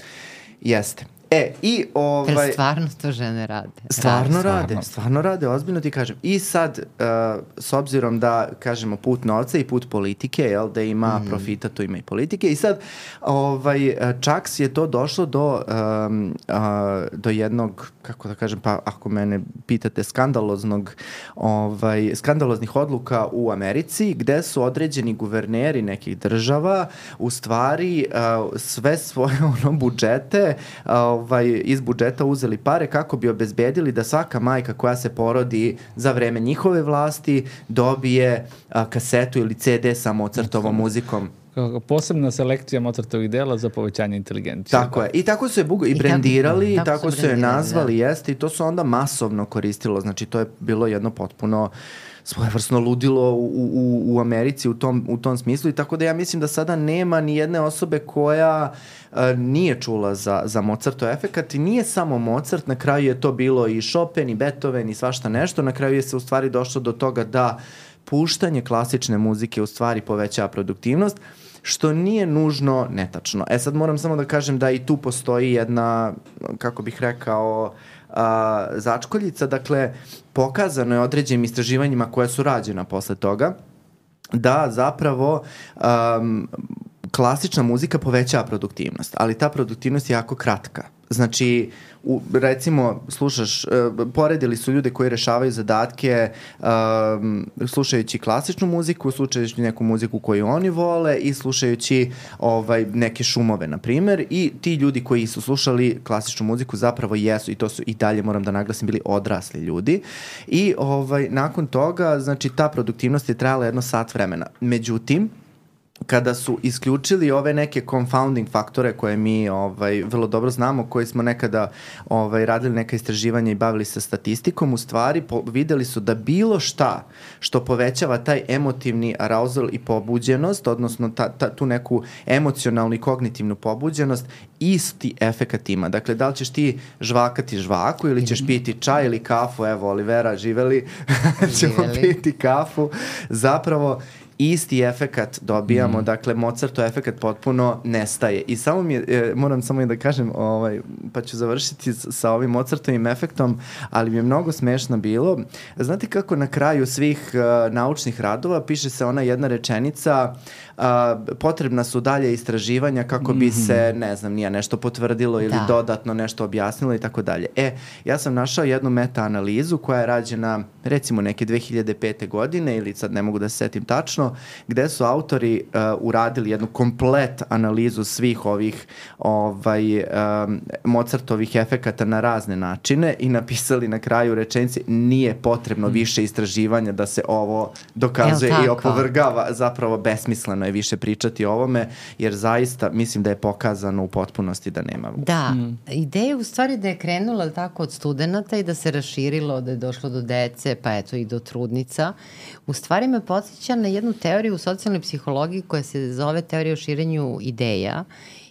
Jeste. E, i ovaj...
Jer stvarno to žene rade.
Stvarno
rade.
rade,
stvarno.
stvarno rade, ozbiljno ti kažem. I sad, uh, s obzirom da, kažemo, put novca i put politike, jel, da ima mm. profita, to ima i politike. I sad, ovaj, čak je to došlo do, um, uh, do jednog, kako da kažem, pa ako mene pitate, skandaloznog, ovaj, skandaloznih odluka u Americi, gde su određeni guverneri nekih država u stvari uh, sve svoje ono, budžete uh, ovaj, iz budžeta uzeli pare kako bi obezbedili da svaka majka koja se porodi za vreme njihove vlasti dobije a, kasetu ili ce de sa Mozartovom muzikom.
Posebna selekcija Mozartovih dela za povećanje inteligencije.
Tako je. I tako su je bugo, i brendirali, i tako, tako su je nazvali,
da.
Jeste, i to su onda masovno koristilo. Znači, to je bilo jedno potpuno svojevrsno ludilo u, u, u Americi u tom, u tom smislu, i tako da ja mislim da sada nema ni jedne osobe koja uh, nije čula za, za Mozartov efekat, i nije samo Mozart, na kraju je to bilo i Chopin i Beethoven i svašta nešto, na kraju je se u stvari došlo do toga da puštanje klasične muzike u stvari povećava produktivnost, što nije nužno netačno. E sad moram samo da kažem da i tu postoji jedna, kako bih rekao, a, začkoljica. Dakle, pokazano je određenim istraživanjima koja su rađena posle toga da zapravo um, klasična muzika povećava produktivnost, ali ta produktivnost je jako kratka. Znači, u, recimo, slušaš, uh, poredili su ljude koji rešavaju zadatke um, slušajući klasičnu muziku, slušajući neku muziku koju oni vole i slušajući ovaj, neke šumove, na primer, i ti ljudi koji su slušali klasičnu muziku zapravo jesu, i to su i dalje, moram da naglasim, bili odrasli ljudi, i ovaj, nakon toga, znači, ta produktivnost je trajala jedno sat vremena. Međutim, kada su isključili ove neke confounding faktore koje mi ovaj, vrlo dobro znamo, koji smo nekada ovaj, radili neka istraživanja i bavili se statistikom, u stvari po, videli su da bilo šta što povećava taj emotivni arousal i pobuđenost, odnosno ta, ta, tu neku emocionalnu i kognitivnu pobuđenost, isti efekat ima. Dakle, da li ćeš ti žvakati žvaku ili ćeš piti čaj ili kafu, evo Olivera, živeli, ćemo piti kafu, zapravo isti efekat dobijamo, mm. dakle Mozartov efekat potpuno nestaje. I samo mi je, e, moram samo i da kažem, ovaj, pa ću završiti s, sa ovim Mozartovim efektom, ali mi je mnogo smešno bilo. Znate kako na kraju svih uh, naučnih radova piše se ona jedna rečenica, uh, potrebna su dalje istraživanja kako bi mm-hmm. se, ne znam, nije nešto potvrdilo ili da. dodatno nešto objasnilo i tako dalje. E, ja sam našao jednu meta-analizu koja je rađena recimo neke dve hiljade pete. godine, ili sad ne mogu da se setim tačno, gde su autori uh, uradili jednu komplet analizu svih ovih ovaj, um, Mozartovih efekata na razne načine i napisali na kraju rečenici: nije potrebno mm. više istraživanja da se ovo dokazuje i opovrgava. Zapravo besmisleno je više pričati o ovome, jer zaista mislim da je pokazano u potpunosti da nema.
Da, mm. ideja u stvari da je krenula tako od studenta i da se raširilo, da je došlo do dece, pa eto i do trudnica. U stvari me podsjeća na jednu teoriju u socijalnoj psihologiji koja se zove teorija o širenju ideja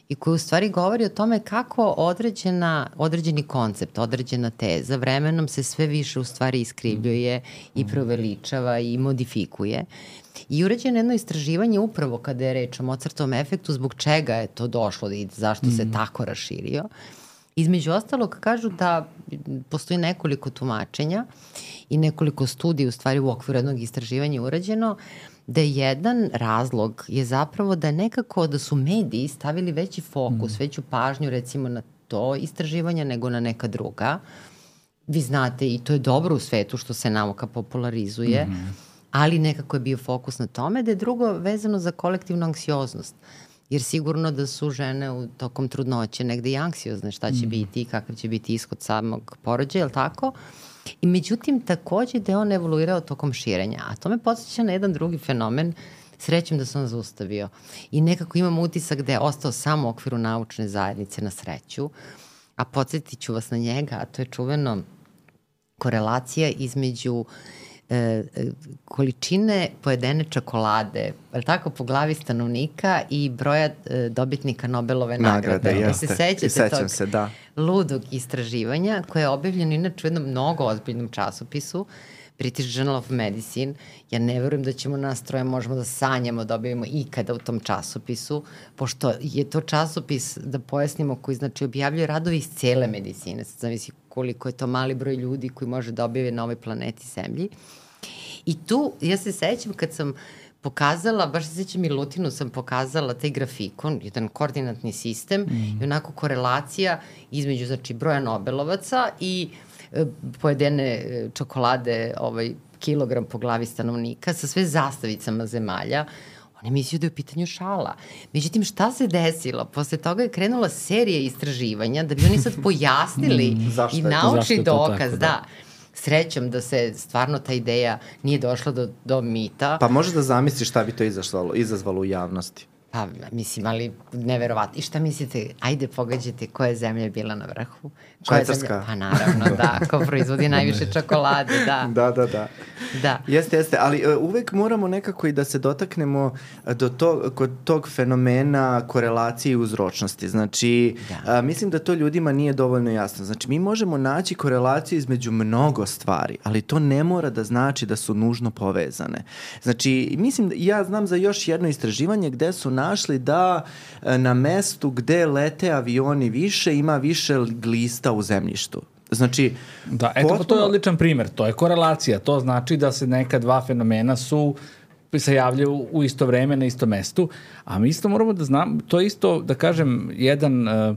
i koja u stvari govori o tome kako određena, određeni koncept, određena teza vremenom se sve više u stvari iskrivljuje i proveličava i modifikuje. I urađeno jedno istraživanje upravo kada je reč o Mozartovom efektu, zbog čega je to došlo i zašto mm. se tako raširio. Između ostalog kažu da postoji nekoliko tumačenja i nekoliko studija u stvari u okviru jednog istraživanja urađeno, da je jedan razlog je zapravo da nekako da su mediji stavili veći fokus, mm. veću pažnju recimo na to istraživanje nego na neka druga. Vi znate, i to je dobro u svetu što se nauka popularizuje, mm. ali nekako je bio fokus na tome, da je drugo vezano za kolektivnu anksioznost. Jer sigurno da su žene u tokom trudnoće negde i anksiozne šta će mm. biti i kakav će biti ishod samog porođaja, je li tako? I međutim, takođe da je on evoluirao tokom širenja. A to me podsjeća na jedan drugi fenomen, srećem da se on zaustavio. I nekako imam utisak da je ostao samo u okviru naučne zajednice, na sreću. A podsjetit ću vas na njega, a to je čuveno korelacija između e, količine pojedene čokolade, ali tako, po glavi stanovnika i broja e, dobitnika Nobelove nagrade.
Nagrade, jeste.
Se sećate tog
se, da.
ludog istraživanja koje je objavljeno inače u jednom mnogo ozbiljnom časopisu British Journal of Medicine, ja ne verujem da ćemo nas troje možemo da sanjamo, dobijemo ikada u tom časopisu, pošto je to časopis, da pojasnimo, koji znači objavljuje radovi iz cele medicine. Sad zavisi koliko je to mali broj ljudi koji može da objave na ovoj planeti Zemlji. I tu, ja se sećam kad sam pokazala, baš se sećam i Lutinu sam pokazala taj grafikon, jedan koordinatni sistem mm. i onako korelacija između, znači, broja Nobelovaca i e, pojedene čokolade, ovaj, kilogram po glavi stanovnika sa sve zastavicama zemalja. Oni misliju da je u pitanju šala. Međutim, šta se desilo? Posle toga je krenula serija istraživanja da bi oni sad pojasnili mm, i naučni dokaz, tako, da. da. Srećom da se stvarno ta ideja nije došla do, do mita.
Pa može da zamisliš šta bi to izazvalo, izazvalo u javnosti?
Pa, mislim, ali neverovatno. I šta mislite, ajde pogađajte koja zemlja je bila na vrhu?
Švajcarska.
Pa naravno, da, ko proizvodi najviše čokolade, da.
Da, da, da.
Da.
Jeste, jeste, ali uh, uvek moramo nekako i da se dotaknemo do tog, kod tog fenomena korelacije i uzročnosti. Znači, da. uh, mislim da to ljudima nije dovoljno jasno. Znači, mi možemo naći korelaciju između mnogo stvari, ali to ne mora da znači da su nužno povezane. Znači, mislim, ja znam za još jedno istraživanje gde su našli da na mestu gde lete avioni više ima više glista u zemljištu. Znači,
da, eto, potpuno... to je odličan primer. To je korelacija. To znači da se neka dva fenomena su se javljaju u isto vreme na isto mestu, a mi isto moramo da znam, to je isto, da kažem, jedan uh,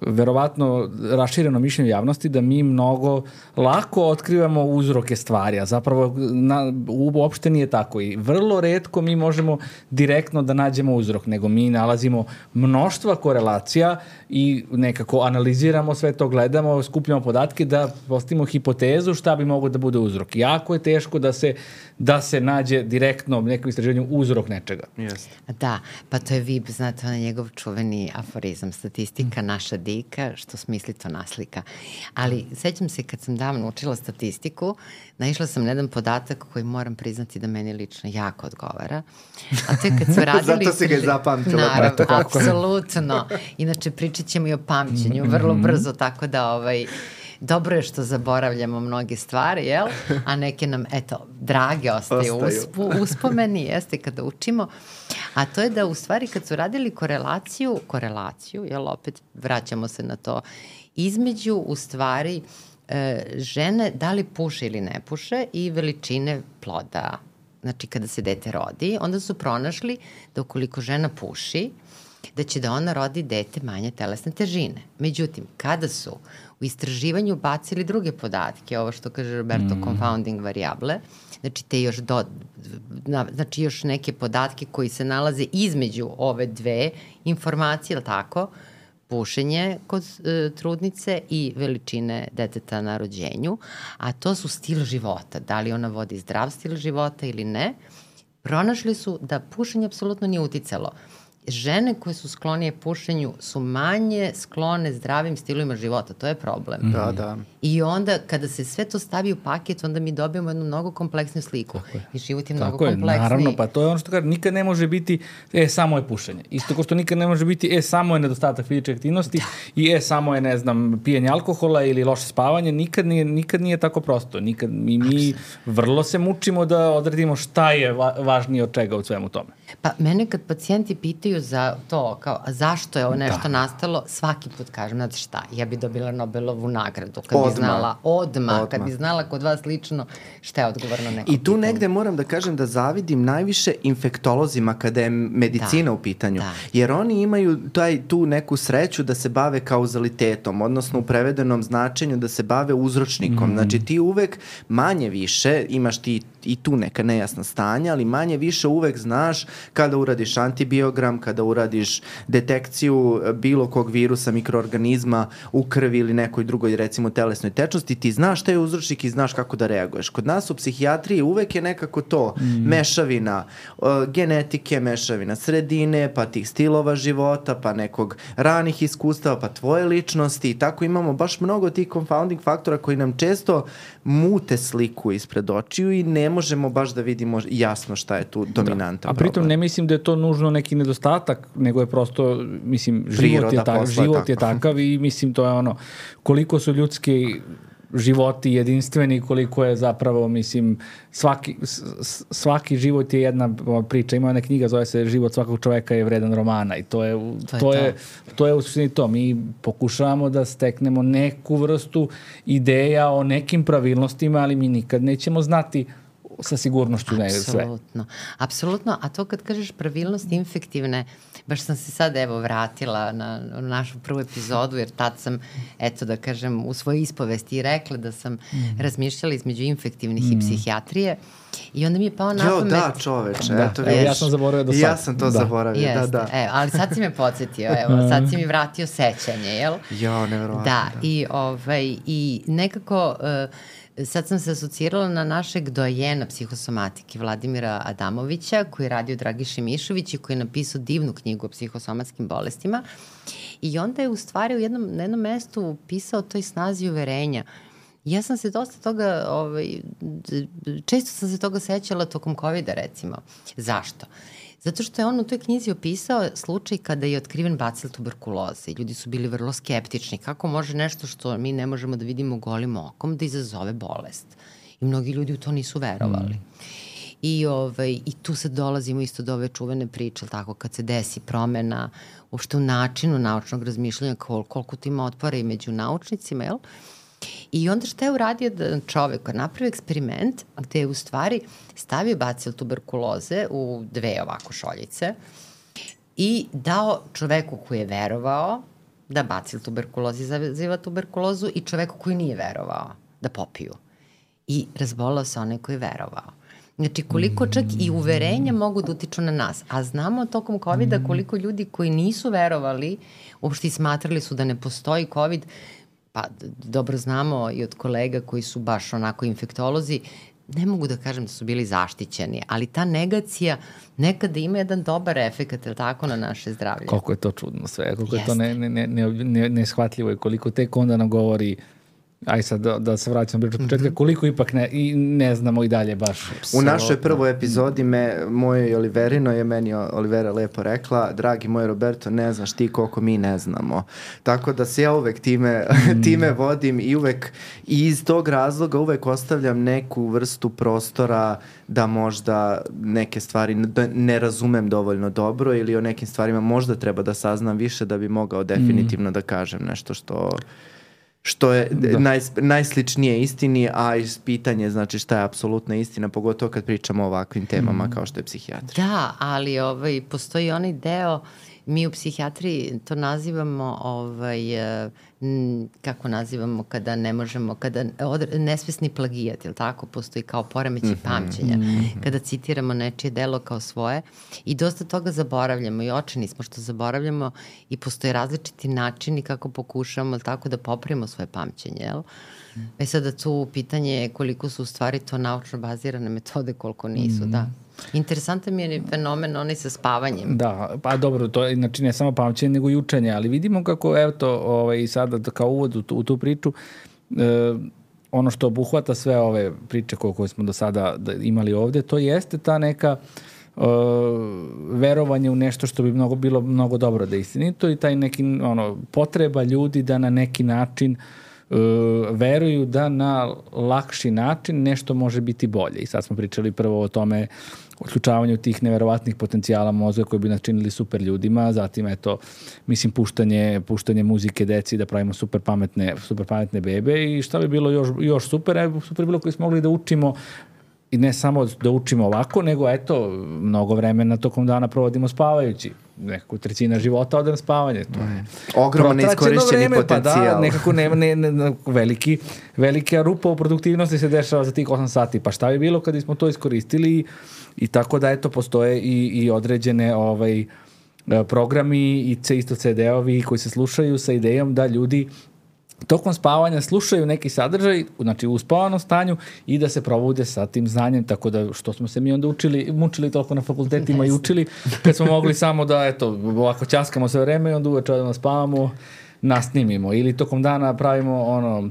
verovatno rašireno mišljenje javnosti da mi mnogo lako otkrivamo uzroke stvari, a zapravo na, uopšte nije tako i vrlo retko mi možemo direktno da nađemo uzrok, nego mi nalazimo mnoštva korelacija i nekako analiziramo sve to, gledamo, skupljamo podatke da postavimo hipotezu šta bi moglo da bude uzrok. Jako je teško da se, da se nađe direktno nekom istraživanju uzrok nečega.
Yes.
Da, pa to je V I B, znate, on je njegov čuveni aforizam, statistika naša dika, što smisli to naslika. Ali sećam se kad sam davno učila statistiku, naišla sam na jedan podatak koji moram priznati da meni lično jako odgovara. A to je kad su radili...
Zato si ga je zapamtila.
Naravno, apsolutno. Inače, pričat ćemo i o pamćenju vrlo brzo, tako da ovaj... Dobro je što zaboravljamo mnoge stvari, jel? A neke nam, eto, drage ostaju, ostaju. Uspu, uspomeni, jeste, kada učimo. A to je da u stvari kad su radili korelaciju, korelaciju, jel, opet vraćamo se na to, između u stvari e, žene da li puše ili ne puše i veličine ploda. Znači kada se dete rodi, onda su pronašli da ukoliko žena puši, da će da ona rodi dete manje telesne težine. Međutim, kada su u istraživanju bacili druge podatke, ovo što kaže Roberto, mm. confounding variable, znači te još do, na, znači još neke podatke koji se nalaze između ove dve informacije, ili tako, pušenje kod e, trudnice i veličine deteta na rođenju, a to su stil života, da li ona vodi zdrav stil života ili ne, pronašli su da pušenje apsolutno nije uticalo. Žene koje su sklonije pušenju su manje sklone zdravim stilovima života. To je problem.
Da, da.
I onda kada se sve to stavi u paket, onda mi dobijemo jednu mnogo kompleksnu sliku. Tako je. I život je mnogo
Tako
kompleksniji.
Je, naravno, pa to je ono što kaže, nikad ne može biti, e, samo je pušenje. Isto kao što nikad ne može biti, e, samo je nedostatak fizičke aktivnosti da. I e, samo je, ne znam, pijenje alkohola ili loše spavanje. Nikad nije, nikad nije tako prosto. Nikad, mi, mi vrlo se mučimo da odredimo šta je va, važnije od čega u svemu tome.
Pa mene kad pacijenti pitaju za to, kao, a zašto je ovo nešto da. nastalo, svaki put kažem, znate šta, ja bi dobila Nobelovu nagradu kad odmah. bi znala, odmah, odmah, kad bi znala kod vas lično šta je odgovorno neko
I tu pitanje. Negde moram da kažem da zavidim najviše infektolozima kada je medicina da. u pitanju, da. jer oni imaju taj, tu neku sreću da se bave kauzalitetom, odnosno u prevedenom značenju da se bave uzročnikom. Mm. Znači ti uvek manje više, imaš ti i tu neka nejasna stanja, ali manje više uvek znaš kada uradiš antibiogram, kada uradiš detekciju bilo kog virusa, mikroorganizma u krvi ili nekoj drugoj, recimo, telesnoj tečnosti, ti znaš šta je uzročnik i znaš kako da reaguješ. Kod nas u psihijatriji uvek je nekako to mm. mešavina uh, genetike, mešavina sredine, pa tih stilova života, pa nekog ranih iskustava, pa tvoje ličnosti i tako imamo baš mnogo tih confounding faktora koji nam često mute sliku ispred očiju i ne možemo baš da vidimo jasno šta je tu dominantan
da. A pritom problem. Ne mislim da je to nužno neki nedostatak, nego je prosto, mislim, život, je, ta, život je takav i mislim to je ono, koliko su ljudski životi jedinstveni, koliko je zapravo, mislim, svaki, svaki život je jedna priča. Ima jedna knjiga, zove se Život svakog čoveka je vredan romana i to je, to, to je, je, to je u suštini to. Mi pokušavamo da steknemo neku vrstu ideja o nekim pravilnostima, ali mi nikad nećemo znati sa sigurnošću ne sve.
Apsolutno. Apsolutno, a to kad kažeš pravilnosti infektivne, baš sam se sad evo vratila na, na našu prvu epizodu, jer tad sam, eto da kažem, u svojoj ispovesti rekla da sam mm. razmišljala između infektivnih mm. i psihijatrije i onda mi je pao na pamet...
Jo, da, čoveče,
da.
eto
Evo, ja sam zaboravio do sad.
Ja sam to da. zaboravio,
Jeste,
da, da.
Evo, ali sad si me podsjetio, evo, sad si mi vratio sećanje, jel?
Jo, nevjerovatno.
Da, da. I, ovaj, i nekako... Uh, sad sam se asocirala na našeg dojena psihosomatike Vladimira Adamovića, koji je radio Dragiši Mišović i koji je napisao divnu knjigu o psihosomatskim bolestima. I onda je u stvari u jednom, na jednom mestu pisao o toj snazi uverenja. Ja sam se dosta toga, ovaj, često sam se toga sećala tokom kovida recimo. Zašto? Zato što je on u toj knjizi opisao slučaj kada je otkriven bacil tuberkuloze i ljudi su bili vrlo skeptični. Kako može nešto što mi ne možemo da vidimo golim okom da izazove bolest? I mnogi ljudi u to nisu verovali. Mm. I, ovaj, I tu sad dolazimo isto do ove čuvene priče, tako, kad se desi promena uopšte u načinu naučnog razmišljanja, kol, koliko to ima otpora i među naučnicima, jel? I onda šta je uradio da čovek napravio eksperiment gde je u stvari stavio bacil tuberkuloze u dve ovako šoljice i dao čoveku koji je verovao da bacil tuberkuloze izaziva tuberkulozu i čoveku koji nije verovao da popiju. I razbolao se onaj koji je verovao. Znači koliko čak i uverenja mogu da utiču na nas. A znamo tokom kovida koliko ljudi koji nisu verovali, uopšte smatrali su da ne postoji covid, pa dobro znamo i od kolega koji su baš onako infektolozi, ne mogu da kažem da su bili zaštićeni, ali ta negacija nekada ima jedan dobar efekt, je li tako, na naše zdravlje?
Koliko je to čudno sve, koliko Jeste. je to ne, ne, ne, ne, neshvatljivo i koliko tek onda nam govori, aj sad da, da se vraćam priču od početka, mm-hmm. koliko ipak ne, i ne znamo i dalje baš.
U našoj prvoj epizodi me, moje i Oliverino je meni Olivera lepo rekla, dragi moj Roberto, ne znaš ti koliko mi ne znamo. Tako da se ja uvek time, mm. time vodim i uvek i iz tog razloga uvek ostavljam neku vrstu prostora da možda neke stvari ne razumem dovoljno dobro ili o nekim stvarima možda treba da saznam više da bi mogao definitivno mm. da kažem nešto što... što je naj, najsličnije istini, a iz pitanje znači šta je apsolutna istina, pogotovo kad pričamo o ovakvim temama mm. kao što je psihijatrija.
Da, ali ovaj, postoji onaj deo, mi u psihijatriji to nazivamo, ovaj, m, kako nazivamo kada ne možemo, kada odre, nesvesni plagijat, je li tako? Postoji kao poremećaj mm-hmm. pamćenja, mm-hmm. kada citiramo nečije delo kao svoje i dosta toga zaboravljamo i očeni smo što zaboravljamo i postoje različiti načini kako pokušamo tako da popravimo svoje pamćenje, jel? Mm. E sada tu pitanje je koliko su u stvari to naučno bazirane metode, koliko nisu, mm. da. Interesantan mi je fenomen onaj sa spavanjem.
Da, pa dobro, to je znači ne samo pamćenje, nego i učenje, ali vidimo kako, evo to, ovaj, sada kao uvod u tu, u tu priču, e, ono što obuhvata sve ove priče koje, koje smo do sada imali ovde, to jeste ta neka e, verovanje u nešto što bi mnogo bilo mnogo dobro da je istinito i taj neki ono, potreba ljudi da na neki način Uh, veruju da na lakši način nešto može biti bolje. I sad smo pričali prvo o tome, o uključavanju tih neverovatnih potencijala mozga koji bi nas činili super ljudima, zatim eto, mislim, puštanje, puštanje muzike deci da pravimo super pametne, super pametne bebe i šta bi bilo još, još super, e, super bilo koji smo mogli da učimo i ne samo da učimo ovako, nego eto, mnogo vremena tokom dana provodimo spavajući. Nekako trećina života ode na spavanje. To je
ogroman neiskorišćeni potencijal.
Pa da, nekako nema, ne, ne, veliki, velika rupa u produktivnosti se dešava za tih osam sati. Pa šta bi bilo kad smo to iskoristili i, i tako da eto postoje i, i određene ovaj, programi i isto ce de-ovi koji se slušaju sa idejom da ljudi tokom spavanja slušaju neki sadržaj, znači u uspavanom stanju i da se probude sa tim znanjem, tako da što smo se mi onda učili, mučili toliko na fakultetima i učili, kad smo mogli samo da, eto, ovako ćaskamo sve vreme i onda uveče da spavamo, nasnimimo ili tokom dana pravimo ono,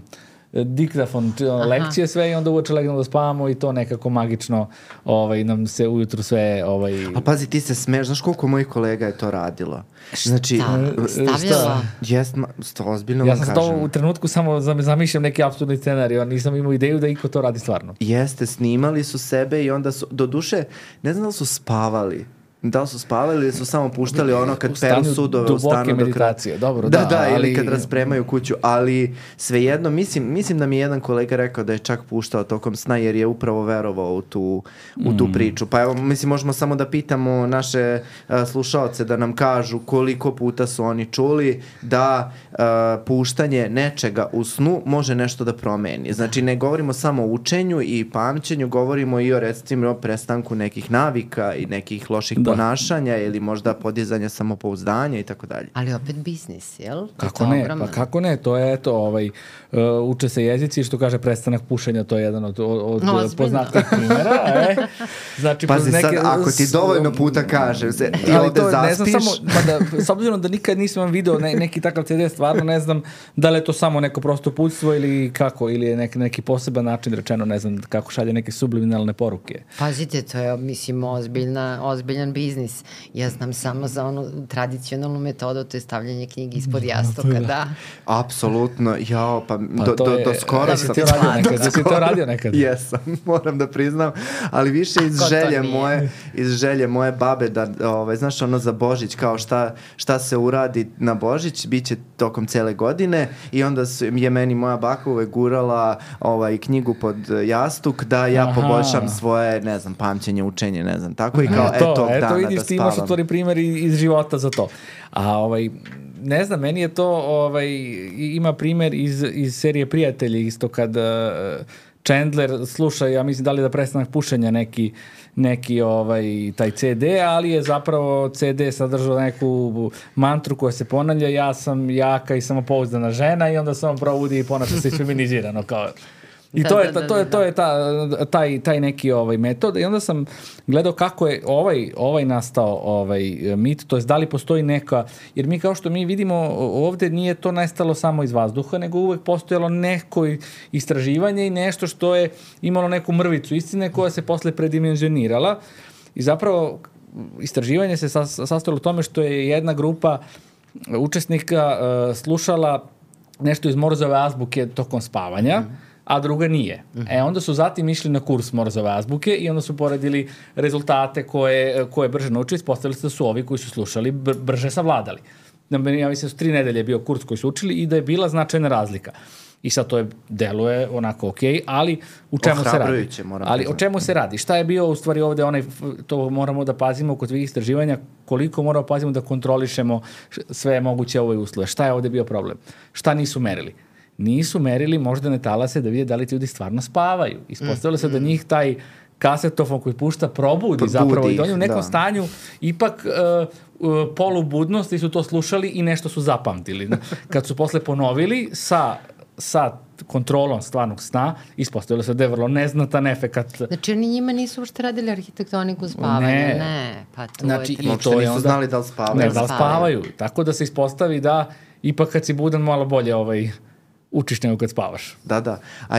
diktafon, lekcije sve i onda uveče legnemo da spavamo i to nekako magično ovaj, nam se ujutru sve... Ovaj...
A pazi, ti se smeš, znaš koliko mojih kolega je to radilo? Znači,
stavljala?
Jest, sto ozbiljno
ja
vam
sam
kažem.
to u trenutku samo zamišljam neki apsurdni scenarij, nisam imao ideju da iko to radi stvarno.
Jeste, snimali su sebe i onda su, do duše, ne znam da li su spavali. Da li su spavali ili su samo puštali ono kad peru sudove u stanu
duboke meditacije, dobro,
da.
da,
Da,
ali...
ili kad raspremaju kuću, ali svejedno, mislim, mislim da mi je jedan kolega rekao da je čak puštao tokom sna jer je upravo verovao u tu, u tu priču. Pa evo, mislim, možemo samo da pitamo naše uh, slušaoce da nam kažu koliko puta su oni čuli da uh, puštanje nečega u snu može nešto da promeni. Znači, ne govorimo samo o učenju i pamćenju, govorimo i o, recimo, prestanku nekih navika i nekih loših da. ponašanja ili možda podizanja samopouzdanja i tako dalje.
Ali opet biznis, jel?
Kako ne, ogroman. Pa kako ne, to je eto, ovaj, uh, uče se jezici, što kaže prestanak pušenja, to je jedan od, od no, poznatih primjera. E. Znači,
pazi
neke,
sad, ako ti dovoljno puta kažem, se, ti ali ovde to, zaspiš...
Ne znam samo, da, s obzirom da nikad nisam video ne, neki takav ce de, stvarno ne znam da li je to samo neko prosto uputstvo ili kako, ili je neki, neki poseban način rečeno, ne znam kako šalje neke subliminalne poruke.
Pazite, to je, mislim, ozbiljna, ozbiljan biznis. Ja znam samo za onu tradicionalnu metodu, to je stavljanje knjige ispod jastuka, da.
Apsolutno, jao, pa,
pa
do, do, do skoro
sam... Da si to radio nekad? Da si to radio nekad?
Jesam, moram da priznam, ali više iz želje moje, iz želje moje babe da, ovaj, znaš, ono za Božić, kao šta, šta se uradi na Božić, bit će tokom cele godine i onda je meni moja baka uvek gurala ovaj, knjigu pod jastuk da ja Aha. poboljšam svoje, ne znam, pamćenje, učenje, ne znam, tako i kao, eto, eto, dana vidiš, da spavam.
Ti imaš u tvori primjer iz života za to. A ovaj, ne znam, meni je to, ovaj, ima primjer iz, iz serije Prijatelji, isto kad uh, Chandler sluša, ja mislim da li da prestanak pušenja neki, neki ovaj, taj ce de, ali je zapravo ce de sadržao neku mantru koja se ponavlja, ja sam jaka i samopouzdana žena i onda se on probudi i ponaša se feminizirano kao... I da, to je, da, to je, to je ta, taj, taj neki ovaj metod i onda sam gledao kako je ovaj, ovaj nastao ovaj mit, to je da li postoji neka, jer mi kao što mi vidimo ovde nije to nastalo samo iz vazduha, nego uvek postojalo neko istraživanje i nešto što je imalo neku mrvicu istine koja se posle predimenzionirala i zapravo istraživanje se sastojalo u tome što je jedna grupa učesnika uh, slušala nešto iz Morzove azbuke tokom spavanja, mm. a druga nije. Mm-hmm. E, onda su zatim išli na kurs Morzove azbuke i onda su poredili rezultate koje, koje brže naučili, ispostavili se da su ovi koji su slušali br- brže savladali. Ja mislim da su tri nedelje bio kurs koji su učili i da je bila značajna razlika. I sad to je, deluje onako ok, ali u čemu se radi? Ali o čemu se radi? Šta je bio u stvari ovde onaj, to moramo da pazimo kod svih istraživanja, koliko moramo da pazimo da kontrolišemo sve moguće ove uslove. Šta je ovde bio problem? Šta nisu merili? Nisu merili moždane talase da vide da li ti ljudi stvarno spavaju. Ispostavilo mm, se da njih taj kasetofon koji pušta probudi, probudi zapravo i da oni u nekom da. stanju ipak uh, uh, polubudnosti su to slušali i nešto su zapamtili. Kad su posle ponovili sa, sa kontrolom stvarnog sna, ispostavilo se da je vrlo neznatan efekat.
Znači oni njima nisu ušte radili arhitektoniku spavanja, ne. ne. Pa to
znači,
je...
I to nisu onda, znali da li spavaju.
Ne, da li spavaju. Tako da se ispostavi da ipak kad si budan malo bolje ovaj... učiš nego kad spavaš.
Da, da. A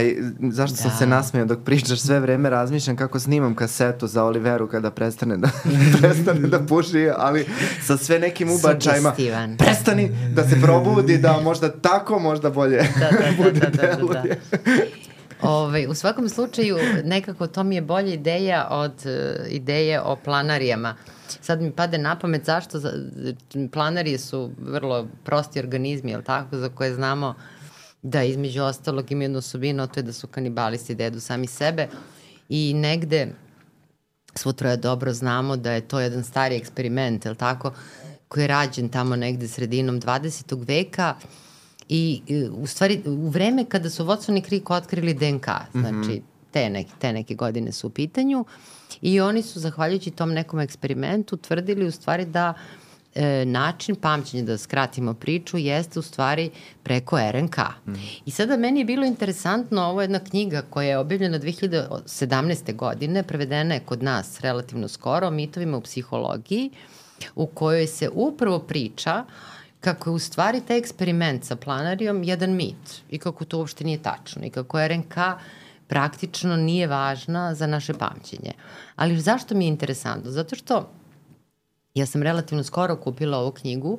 zašto da. sam se nasmeo dok pričaš, sve vreme razmišljam kako snimam kasetu za Oliveru kada prestane da, prestane da puši, ali sa sve nekim ubačajima. Prestani da se probudi, da možda tako, možda bolje
da, da,
bude
da, da,
deluje.
Da, da. Ove, u svakom slučaju, nekako to mi je bolja ideja od uh, ideje o planarijama. Sad mi pade na pamet zašto za, planarije su vrlo prosti organizmi, jel tako, za koje znamo da između ostalog ima jednu osobinu, to je da su kanibalisti, da jedu sami sebe i negde svo troje dobro znamo da je to jedan stari eksperiment, je li tako, koji je rađen tamo negde sredinom dvadesetog veka i u stvari u vreme kada su Watson i Crick otkrili de en ka, znači mm-hmm. te, neke, te neke godine su u pitanju i oni su zahvaljujući tom nekom eksperimentu tvrdili u stvari da E, način pamćenja, da skratimo priču, jeste u stvari preko er en ka. Mm. I sada meni je bilo interesantno, ovo je jedna knjiga koja je objavljena dve hiljade sedamnaeste. godine, prevedena je kod nas relativno skoro, o mitovima u psihologiji, u kojoj se upravo priča kako je u stvari taj eksperiment sa planarijom jedan mit i kako to uopšte nije tačno i kako R N K praktično nije važna za naše pamćenje. Ali zašto mi je interesantno? Zato što ja sam relativno skoro kupila ovu knjigu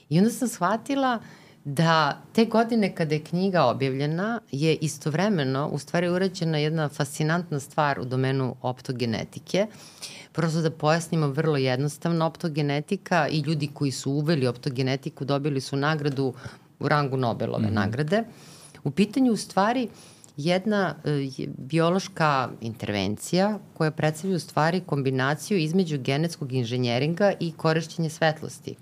i onda sam shvatila da te godine kada je knjiga objavljena je istovremeno u stvari urađena jedna fascinantna stvar u domenu optogenetike. Prosto da pojasnimo vrlo jednostavno, optogenetika i ljudi koji su uveli optogenetiku dobili su nagradu u rangu Nobelove mm-hmm. nagrade. U pitanju u stvari jedna e, biološka intervencija koja predstavlja u stvari kombinaciju između genetskog inženjeringa i korišćenja svetlosti.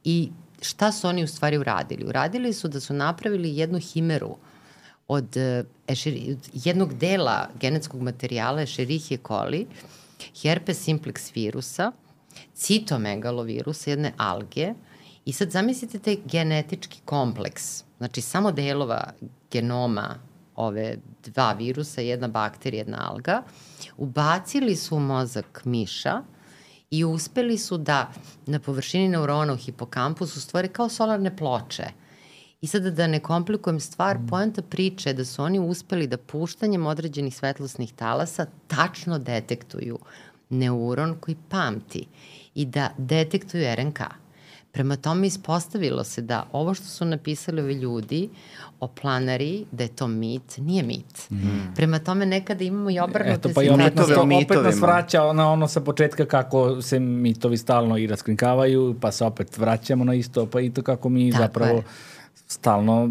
I šta su oni u stvari uradili? Uradili su da su napravili jednu himeru od, ešeri, od jednog dela genetskog materijala Escherichia coli, herpes simplex virusa, citomegalovirusa, jedne alge, i sad zamislite taj genetički kompleks, znači samo delova genoma ove dva virusa, jedna bakterija, jedna alga, ubacili su u mozak miša i uspeli su da na površini neurona u hipokampusu stvore kao solarne ploče. I sada da ne komplikujem stvar, poenta priče je da su oni uspeli da puštanjem određenih svetlosnih talasa tačno detektuju neuron koji pamti i da detektuju R N K. Prema tome ispostavilo se da ovo što su napisali ovi ljudi o planari, da je to mit, nije mit. Mm. Prema tome nekada imamo i obrnute
Eto, pa i opet nas, to, opet nas vraća na ono sa početka kako se mitovi stalno i raskrinkavaju, pa se opet vraćamo na isto, pa i to kako mi Tako zapravo je. stalno...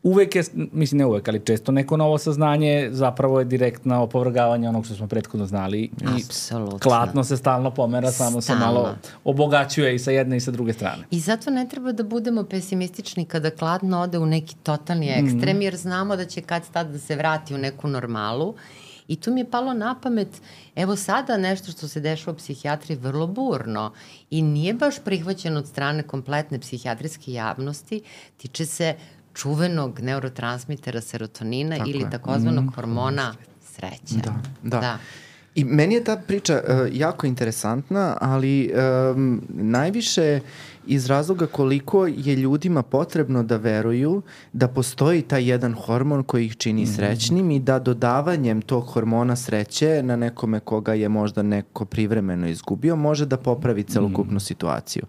Uvek je, mislim ne uvek, ali često neko novo saznanje zapravo je direktno opovrgavanje onog što smo prethodno znali. I
Apsolutno.
Klatno se stalno pomera, samo stalno. se malo obogaćuje i sa jedne i sa druge strane.
I zato ne treba da budemo pesimistični kada klatno ode u neki totalni ekstrem, mm. jer znamo da će kad tad da se vrati u neku normalu. I tu mi je palo na pamet, evo sada nešto što se dešava u psihijatriji vrlo burno i nije baš prihvaćeno od strane kompletne psihijatrijske javnosti, tiče se čuvenog neurotransmitera serotonina Tako ili je. takozvanog mm. hormona sreće.
Da, da.
da.
I meni je ta priča uh, jako interesantna, ali um, najviše iz razloga koliko je ljudima potrebno da veruju da postoji taj jedan hormon koji ih čini srećnim i da dodavanjem tog hormona sreće na nekome koga je možda neko privremeno izgubio može da popravi celokupnu situaciju.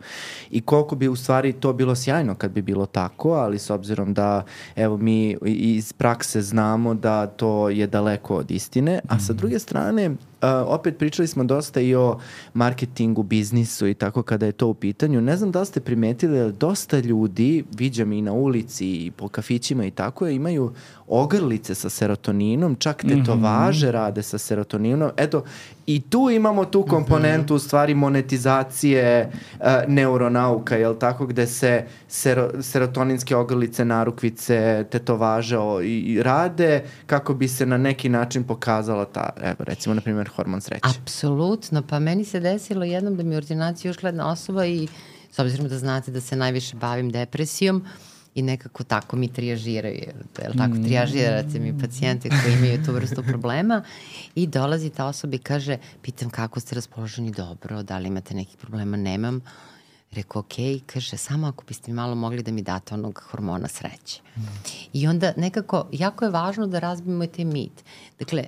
I koliko bi u stvari to bilo sjajno kad bi bilo tako, ali s obzirom da evo mi iz prakse znamo da to je daleko od istine, a sa druge strane Uh, opet pričali smo dosta i o marketingu, biznisu i tako kada je to u pitanju. Ne znam da li ste primetili, ali dosta ljudi, viđam i na ulici i po kafićima i tako, imaju ogrlice sa serotoninom, čak tetovaže mm-hmm. rade sa serotoninom. Eto, i tu imamo tu komponentu u stvari monetizacije uh, neuronauka, jel tako, gde se sero, serotoninske ogrlice, narukvice, tetovaže o, i, i rade kako bi se na neki način pokazala ta, evo recimo, na primjer, hormon sreće.
Apsolutno, pa meni se desilo jednom da mi u ordinaciji ušla jedna osoba i s obzirom da znate da se najviše bavim depresijom i nekako tako mi trijažiraju, jel tako, trijažirate mi pacijente koji imaju tu vrstu problema i dolazi ta osoba i kaže, pitam kako ste raspoloženi, dobro, da li imate nekih problema, nemam. Rekao, ok, kaže, samo ako biste mi malo mogli da mi date onog hormona sreće. Mm. I onda nekako, jako je važno da razbijemo taj mit. Dakle,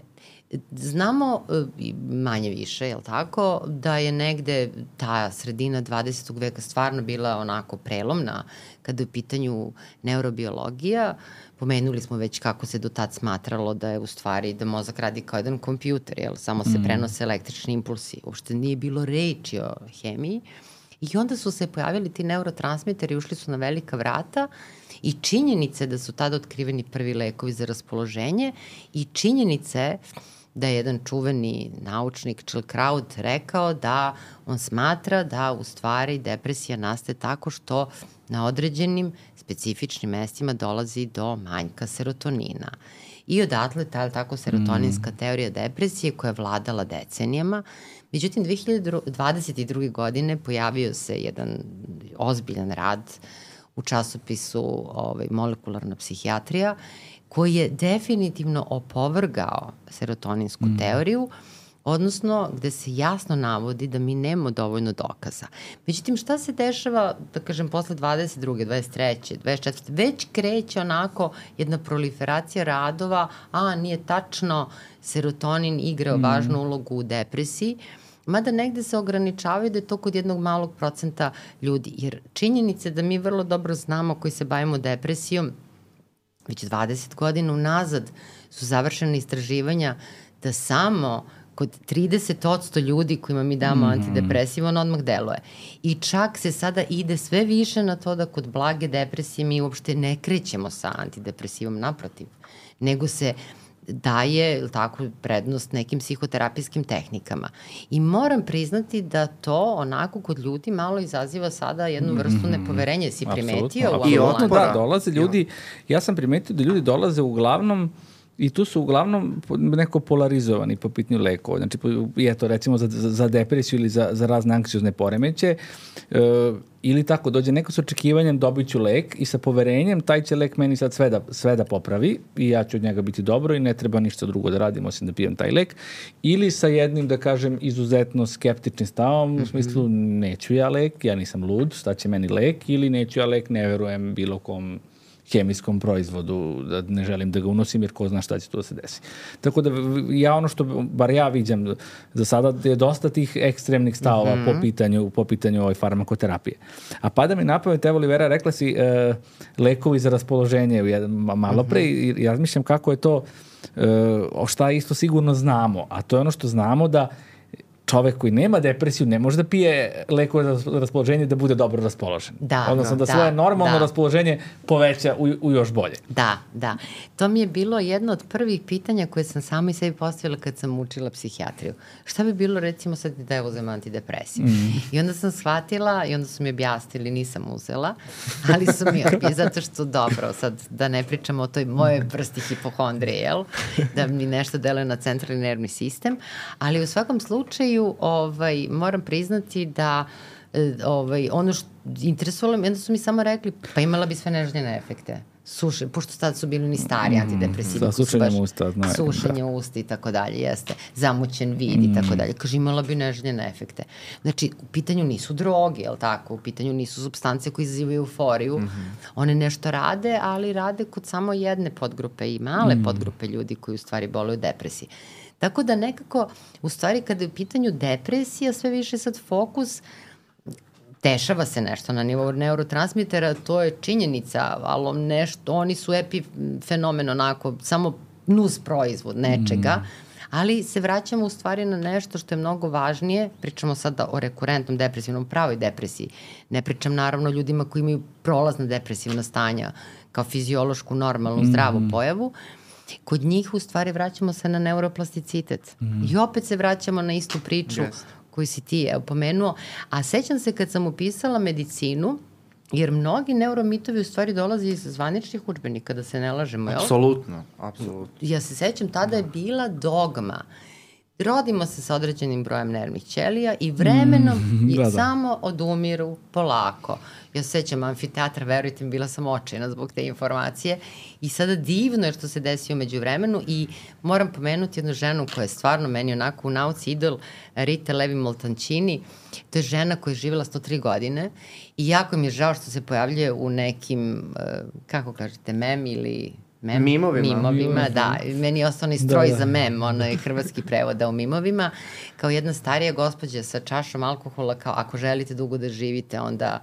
znamo manje više, jel tako, da je negde ta sredina dvadesetog veka stvarno bila onako prelomna kada je u pitanju neurobiologija. Pomenuli smo već kako se do tad smatralo da je u stvari da mozak radi kao jedan kompjuter, jel, samo se prenose električni impulsi. Uopšte nije bilo reči o hemiji. I onda su se pojavili ti neurotransmiteri, ušli su na velika vrata i činjenice da su tada otkriveni prvi lekovi za raspoloženje i činjenice da je jedan čuveni naučnik Chilkraut rekao da on smatra da u stvari depresija nastaje tako što na određenim specifičnim mestima dolazi do manjka serotonina. I odatle ta tako serotoninska mm. teorija depresije koja je vladala decenijama. Međutim, dve hiljade dvadeset druge. godine pojavio se jedan ozbiljan rad u časopisu ovaj, Molekularna psihijatrija koji je definitivno opovrgao serotoninsku mm. teoriju odnosno gde se jasno navodi da mi nemamo dovoljno dokaza. Međutim, šta se dešava, da kažem, posle dvadeset druge, dvadeset treće, dvadeset četvrte već kreće onako jedna proliferacija radova, a nije tačno, serotonin igra mm. važnu ulogu u depresiji, mada negde se ograničavaju da je to kod jednog malog procenta ljudi, jer činjenice da mi vrlo dobro znamo koji se bavimo depresijom, već dvadeset godina unazad su završene istraživanja da samo kod trideset odsto ljudi kojima mi damo mm. antidepresiv, on odmah deluje. I čak se sada ide sve više na to da kod blage depresije mi uopšte ne krećemo sa antidepresivom, naprotiv, nego se daje tako prednost nekim psihoterapijskim tehnikama. I moram priznati da to onako kod ljudi malo izaziva sada jednu vrstu nepoverenja. Si primetio?
Apsolutno, i otpora. Da, dolaze ljudi, ja sam primetio da ljudi dolaze uglavnom i tu su uglavnom neko polarizovani po pitanju lekova. Znači, eto, recimo za, za depresiju ili za, za razne anksiozne poremeće, e, ili tako, dođe neko s očekivanjem dobit ću lek i sa poverenjem taj će lek meni sad sve da, sve da popravi i ja ću od njega biti dobro i ne treba ništa drugo da radim osim da pijem taj lek. Ili sa jednim, da kažem, izuzetno skeptičnim stavom, mm-hmm. u smislu neću ja lek, ja nisam lud, šta će meni lek, ili neću ja lek, ne verujem bilo kom hemijskom proizvodu, da ne želim da ga unosim jer ko zna šta će tu da se desi. Tako da ja ono što, bar ja viđam, za sada je dosta tih ekstremnih stavova mm-hmm. po pitanju, po pitanju ovoj farmakoterapije. A pada mi na pamet, evo Olivera, rekla si uh, lekovi za raspoloženje malo pre mm-hmm. i ja razmišljam kako je to, uh, šta isto sigurno znamo, a to je ono što znamo da čovek koji nema depresiju ne može da pije lekove za raspoloženje da bude dobro raspoložen.
Da,
odnosno da,
da
svoje normalno
da.
raspoloženje poveća u, u još bolje.
Da, da. To mi je bilo jedno od prvih pitanja koje sam sama i sebi postavila kad sam učila psihijatriju. Šta bi bilo recimo sad da ja uzem antidepresiv? Mm. I onda sam shvatila i onda su mi objasnili, nisam uzela, ali su mi objasnili, zato što dobro, sad da ne pričamo o toj moje vrsti hipohondrije, jel? Da mi nešto deluje na centralni nervni sistem, ali u svakom slučaju ovaj, moram priznati da ovaj, ono što interesovalo me, onda su mi samo rekli, pa imala bi sve neželjene efekte. Suše, pošto sad su bili ni stari antidepresivi.
Sa sušenjem usta. Znaju,
sušenje da. usta i tako dalje, jeste. Zamućen vid i tako dalje. Kaže, imala bi neželjene efekte. Znači, u pitanju nisu droge, jel tako? U pitanju nisu supstance koje izazivaju euforiju. Mm-hmm. One nešto rade, ali rade kod samo jedne podgrupe i male mm. podgrupe ljudi koji u stvari boluju depresiji. Tako da nekako, u stvari, kada je u pitanju depresija, sve više sad fokus, dešava se nešto na nivou neurotransmitera, to je činjenica, ali nešto, oni su epifenomen, onako, samo nus proizvod nečega, mm. ali se vraćamo u stvari na nešto što je mnogo važnije, pričamo sada o rekurentnom depresivnom, pravoj depresiji, ne pričam naravno ljudima koji imaju prolazna depresivna stanja, kao fiziološku, normalnu, mm. zdravu pojavu. Kod njih u stvari vraćamo se na neuroplasticitet. Mm. I opet se vraćamo na istu priču yes. koju si ti evo, pomenuo. A sećam se kad sam upisala medicinu, jer mnogi neuromitovi u stvari dolaze iz zvaničnih udžbenika, da se ne lažemo.
Apsolutno, apsolutno.
Ja se sećam, tada je bila dogma. Rodimo se sa određenim brojem nervnih ćelija i vremenom mm, i da, da. samo odumiru polako. Ja se sećam amfiteatra, verujte mi, bila sam očajna zbog te informacije i sada divno je što se desio među vremenu i moram pomenuti jednu ženu koja je stvarno meni onako u nauci idol, Rita Levi-Montalcini. To je žena koja je živjela sto tri godine i jako mi je žao što se pojavljuje u nekim, kako kažete, mem ili... Mem,
mimovima.
Mimovima, da. Meni je ostao onaj stroj da, da. za mem, onaj hrvatski prevoda u mimovima. Kao jedna starija gospođa sa čašom alkohola, kao ako želite dugo da živite, onda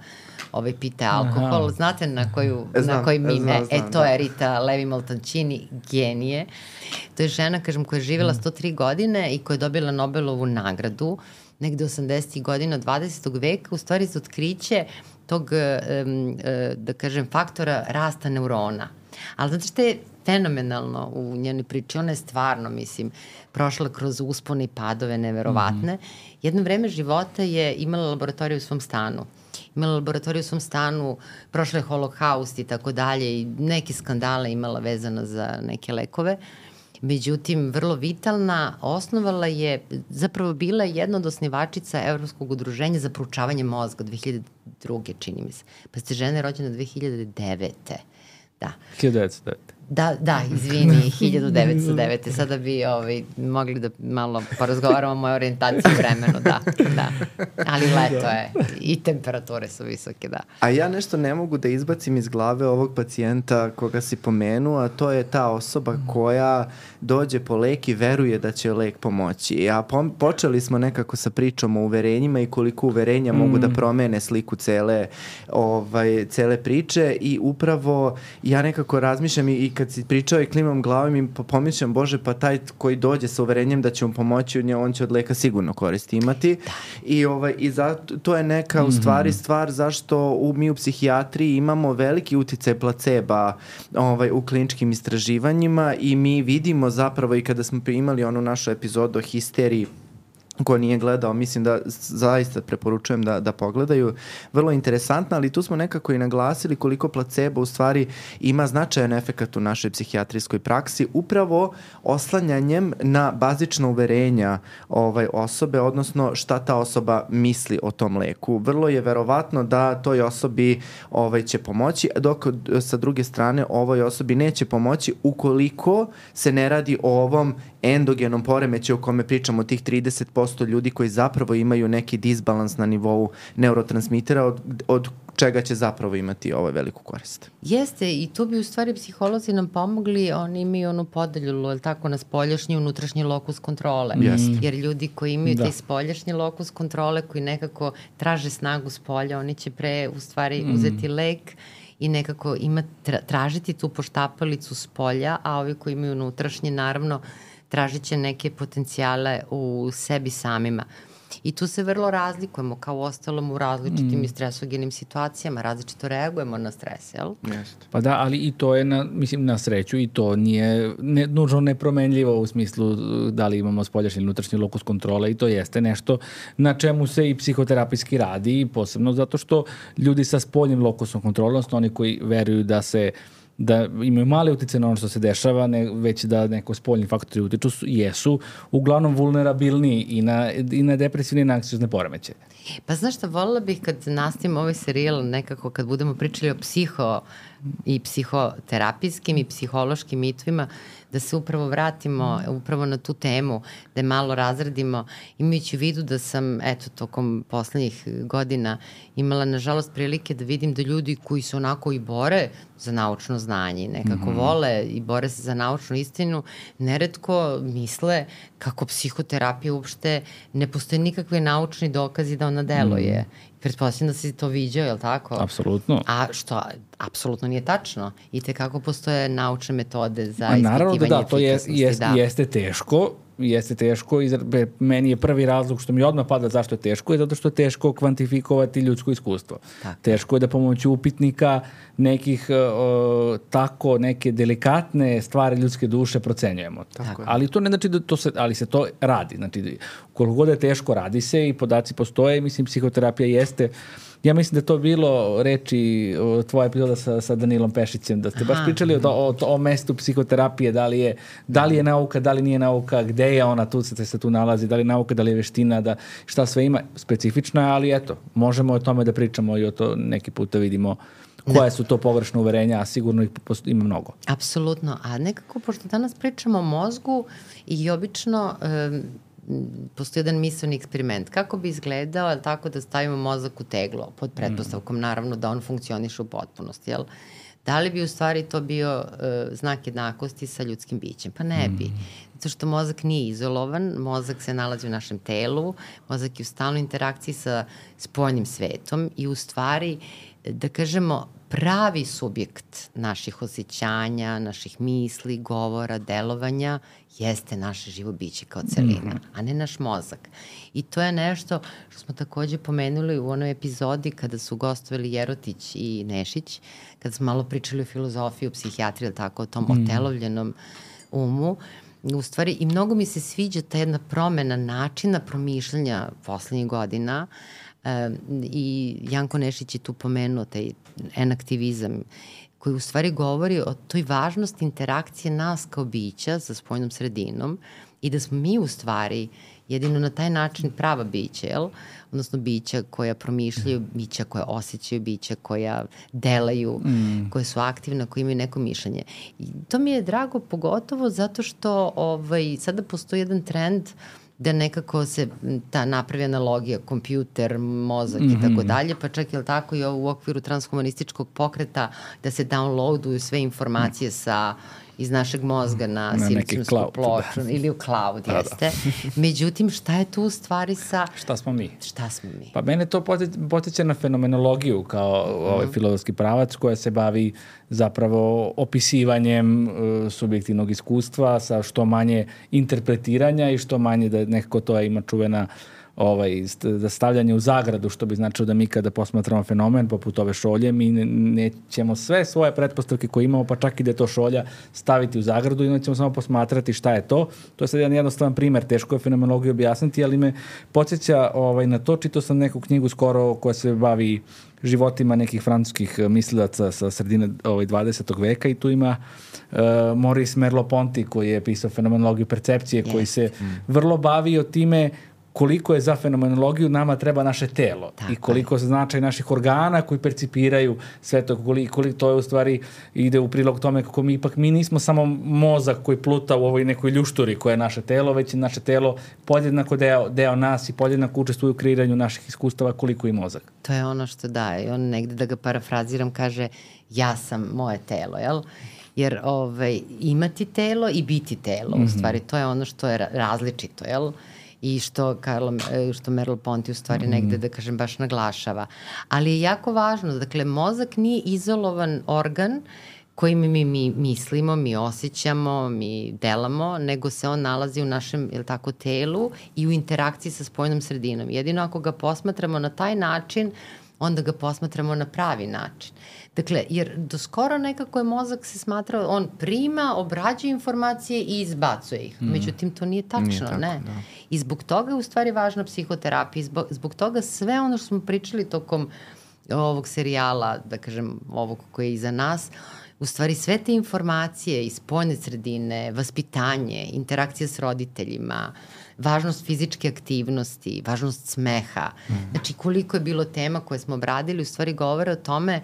ovaj, pite alkohol. Aha. Znate na, koju, znam, na koji mime? Znam, znam, e, to da. je Rita Levi-Montalcini, genije. To je žena, kažem, koja je živjela sto tri godine i koja je dobila Nobelovu nagradu negde osamdesetih godina dvadesetog veka, u stvari za otkriće tog, um, da kažem, faktora rasta neurona. Ali znate što je fenomenalno u njenoj priči? Ona je stvarno, mislim, prošla kroz uspone i padove neverovatne. Mm-hmm. Jedno vreme života je imala laboratoriju u svom stanu. Imala laboratoriju u svom stanu, prošla je holokaust i tako dalje i neke skandale imala vezano za neke lekove. Međutim, vrlo vitalna, osnovala je, zapravo bila jedna od osnivačica Evropskog udruženja za proučavanje mozga dve hiljade druge čini mi se. Pa ste žena je rođena dve hiljade devete. Da.
hiljadu devetsto devete.
Da, da, izvini, hiljadu devetsto devete. Sada bi ovaj, mogli da malo porazgovaramo o mojoj orijentaciji u vremenu, da, da. Ali leto je i temperature su visoke, da.
A ja nešto ne mogu da izbacim iz glave ovog pacijenta koga si pomenuo, a to je ta osoba koja dođe po lek i veruje da će lek pomoći. A pom- počeli smo nekako sa pričom o uverenjima i koliko uverenja mm. mogu da promene sliku cele, ovaj, cele priče i upravo ja nekako razmišljam i, i kad si pričao i klimam glavom i pomišljam, Bože, pa taj koji dođe sa uverenjem da će mu pomoći, on će od leka sigurno koristi imati. Da. I, ovaj, i zato, to je neka mm-hmm. u stvari stvar zašto u, mi u psihijatriji imamo veliki uticaj placeba ovaj, u kliničkim istraživanjima i mi vidimo zapravo i kada smo imali onu našu epizodu o histeriji, ko nije gledao, mislim da zaista preporučujem da, da pogledaju. Vrlo interesantno, ali tu smo nekako i naglasili koliko placebo u stvari ima značajan efekat u našoj psihijatrijskoj praksi, upravo oslanjanjem na bazična uverenja ovaj, osobe, odnosno šta ta osoba misli o tom leku. Vrlo je verovatno da toj osobi ovaj, će pomoći, dok sa druge strane ovoj osobi neće pomoći ukoliko se ne radi o ovom endogenom poremećaju o kome pričamo, tih trideset posto ljudi koji zapravo imaju neki disbalans na nivou neurotransmitera od, od čega će zapravo imati ovaj veliku korist.
Jeste, i tu bi u stvari psiholozi nam pomogli, oni imaju onu podelju, je tako, na spoljašnji i unutrašnji lokus kontrole.
Jeste.
Jer ljudi koji imaju
da.
taj spoljašnji lokus kontrole, koji nekako traže snagu spolja, oni će pre u stvari mm. uzeti lek i nekako ima, tra, tražiti tu poštapalicu spolja, a ovi koji imaju unutrašnji, naravno, tražit će neke potencijale u sebi samima. I tu se vrlo razlikujemo, kao ostalom u različitim mm. i stresogenim situacijama, različito reagujemo na stres, jel?
Jeste.
Pa da, ali i to je, na, mislim, na sreću i to nije ne, nužno nepromenljivo u smislu da li imamo spoljašnji ili unutrašnji lokus kontrole i to jeste nešto na čemu se i psihoterapijski radi, posebno zato što ljudi sa spoljnim lokusom kontrole, odnosno oni koji veruju da se da imaju male utice na ono što se dešava, ne, već da neko spoljni faktori utiču, su, jesu uglavnom vulnerabilni i na, i na depresivne i na anksiozne poremećaje.
Pa znaš šta, voljela bih kad nastavimo ovaj serijal nekako kad budemo pričali o psiho i psihoterapijskim i psihološkim mitovima, da se upravo vratimo upravo na tu temu, da je malo razradimo, imajući u vidu da sam, eto, tokom poslednjih godina imala, nažalost, prilike da vidim da ljudi koji se onako i bore za naučno znanje, nekako mm-hmm. vole i bore se za naučnu istinu, neretko misle kako psihoterapija uopšte ne postoje nikakve naučni dokazi da ona deluje. Mm. Pretpostavljam da si to viđao, je li tako?
Apsolutno.
A što apsolutno nije tačno. I tekako postoje naučne metode za
A naravno
ispitivanje
da, da, to je, jest,
da.
jeste teško, jeste teško, i meni je prvi razlog što mi odmah pada zašto je teško, je zato što je teško kvantifikovati ljudsko iskustvo. Tako. Teško je da pomoću upitnika nekih uh, tako neke delikatne stvari ljudske duše procenjujemo.
Tako.
Ali to ne znači da to se, ali se to radi. Znači, koliko god je teško, radi se i podaci postoje, mislim, psihoterapija jeste. Ja mislim da je to bilo reči tvoja epizoda sa, sa Danilom Pešićem, da ste baš Aha. pričali o, o, o mestu psihoterapije, da li, je, da li je nauka, da li nije nauka, gde je ona, tu se, se tu nalazi, da li je nauka, da li je veština, da šta sve ima, specifično je, ali eto, možemo o tome da pričamo i o to neki put da vidimo koje su to pogrešne uverenja, a sigurno ih ima mnogo.
Apsolutno, a nekako, pošto danas pričamo o mozgu i obično um, postoji jedan misleni eksperiment. Kako bi izgledao, ali tako da stavimo mozak u teglo, pod pretpostavkom, naravno, da on funkcioniše u potpunosti, jel? Da li bi u stvari to bio uh, znak jednakosti sa ljudskim bićem? Pa ne bi. Zato što mozak nije izolovan, mozak se nalazi u našem telu, mozak je u stalnoj interakciji sa spoljnim svetom i u stvari, da kažemo, pravi subjekt naših osjećanja, naših misli, govora, delovanja jeste naše živo biće kao celina, a ne naš mozak. I to je nešto što smo takođe pomenuli u onoj epizodi kada su gostovali Jerotić i Nešić, kada smo malo pričali o filozofiji, o psihijatriji, ili tako, o tom mm. otelovljenom umu. U stvari, i mnogo mi se sviđa ta jedna promena načina promišljanja poslednjih godina. Um, i Janko Nešić je tu pomenuo taj enaktivizam koji u stvari govori o toj važnosti interakcije nas kao bića sa spoljnom sredinom i da smo mi u stvari Jedino na taj način prava bića, jel? Odnosno bića koja promišljaju, bića koja osjećaju, bića koja delaju, mm. koje su aktivne, koje imaju neko mišljenje. I to mi je drago pogotovo zato što ovaj, sada postoji jedan trend da nekako se ta napravi analogija, kompjuter, mozak mm-hmm. i tako dalje, pa čak je tako i ovo u okviru transhumanističkog pokreta da se downloaduju sve informacije sa iz našeg mozga na, na silicijumsku ploču da. Ili u cloud, da, jeste. Da. Međutim, šta je tu u stvari sa...
Šta smo mi?
Šta smo mi?
Pa mene to potiče na fenomenologiju kao mm. ovaj filozofski pravac koja se bavi zapravo opisivanjem uh, subjektivnog iskustva sa što manje interpretiranja i što manje da nekako to ima čuvena ovaj, da stavljanje u zagradu, što bi značilo da mi kada posmatramo fenomen poput ove šolje, mi ne, nećemo sve svoje pretpostavke koje imamo, pa čak i da je to šolja, staviti u zagradu i onda ćemo samo posmatrati šta je to. To je sad jedan jednostavan primer, teško je fenomenologiju objasniti, ali me podsjeća ovaj, na to, čitao sam neku knjigu skoro koja se bavi životima nekih francuskih mislilaca sa sredine ovaj, dvadesetog veka i tu ima uh, Maurice Merleau-Ponty koji je pisao fenomenologiju percepcije, yes. koji se mm. vrlo bavio time koliko je za fenomenologiju nama treba naše telo tako i koliko se značaj naših organa koji percipiraju sve to, koliko, koliko to je u stvari ide u prilog tome kako mi ipak mi nismo samo mozak koji pluta u ovoj nekoj ljušturi koja je naše telo, već je naše telo podjednako deo, deo nas i podjednako učestvuje u kreiranju naših iskustava koliko i mozak.
To je ono što daje. On negde, da ga parafraziram, kaže ja sam moje telo, jel? Jer ovaj, imati telo i biti telo, mm-hmm. u stvari, to je ono što je različito, jel? I što, Karlo, što Merleau-Ponty u stvari negde, da kažem, baš naglašava. Ali je jako važno, dakle, mozak nije izolovan organ kojim mi, mi mislimo, mi osjećamo, mi delamo, nego se on nalazi u našem, jel tako, telu i u interakciji sa spoljnom sredinom. Jedino ako ga posmatramo na taj način, onda ga posmatramo na pravi način. Dakle, jer do skoro nekako je mozak se smatrao, on prima, obrađuje informacije i izbacuje ih. Mm. Međutim, to nije tačno, nije tako, ne. Da. I zbog toga je u stvari važna psihoterapija. Zbog, zbog toga sve ono što smo pričali tokom ovog serijala, da kažem, ovog koji je iza nas, u stvari sve te informacije iz spoljne sredine, vaspitanje, interakcija s roditeljima, važnost fizičke aktivnosti, važnost smeha. Mm. Znači, koliko je bilo tema koje smo obradili, u stvari govore o tome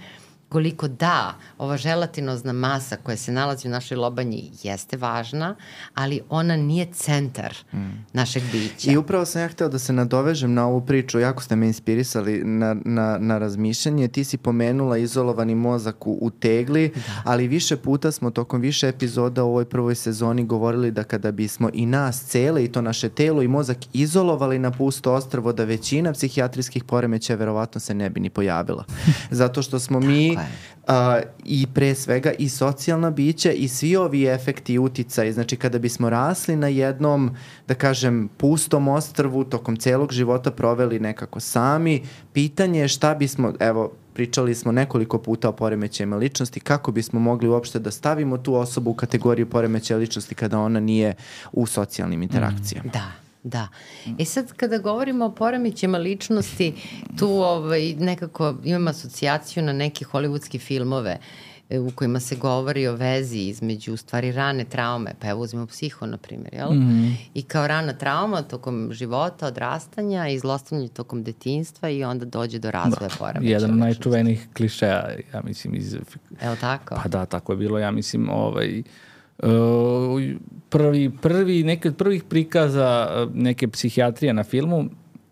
koliko da, ova želatinozna masa koja se nalazi u našoj lobanji jeste važna, ali ona nije centar mm. našeg bića.
I upravo sam ja hteo da se nadovežem na ovu priču, jako ste me inspirisali na, na, na razmišljanje. Ti si pomenula izolovani mozak u, u tegli, da. Ali više puta smo tokom više epizoda u ovoj prvoj sezoni govorili da kada bismo i nas cele i to naše telo i mozak izolovali na pusto ostrvo, da većina psihijatrijskih poremećaja verovatno se ne bi ni pojavila. Zato što smo mi Uh, i pre svega i socijalna bića i svi ovi efekti i uticaji, znači kada bismo rasli na jednom, da kažem, pustom ostrvu, tokom celog života proveli nekako sami, pitanje je šta bismo, evo, pričali smo nekoliko puta o poremećajima ličnosti, kako bismo mogli uopšte da stavimo tu osobu u kategoriju poremećaja ličnosti kada ona nije u socijalnim interakcijama.
Mm, da. Da. E sad, kada govorimo o poremećajima ličnosti, tu ovaj, nekako imam asocijaciju na neke hollywoodske filmove u kojima se govori o vezi između, u stvari, rane traume. Pa evo uzmemo Psiho, na primjer, jel? Mm-hmm. I kao rana trauma tokom života, odrastanja i zlostavljanja tokom detinjstva i onda dođe do razvoja poremećaja.
Jedan od najčuvenijih klišeja, ja mislim, iz...
Evo tako?
Pa da, tako je bilo, ja mislim, ovaj... Uh, prvi, prvi, neki od prvih prikaza neke psihijatrije na filmu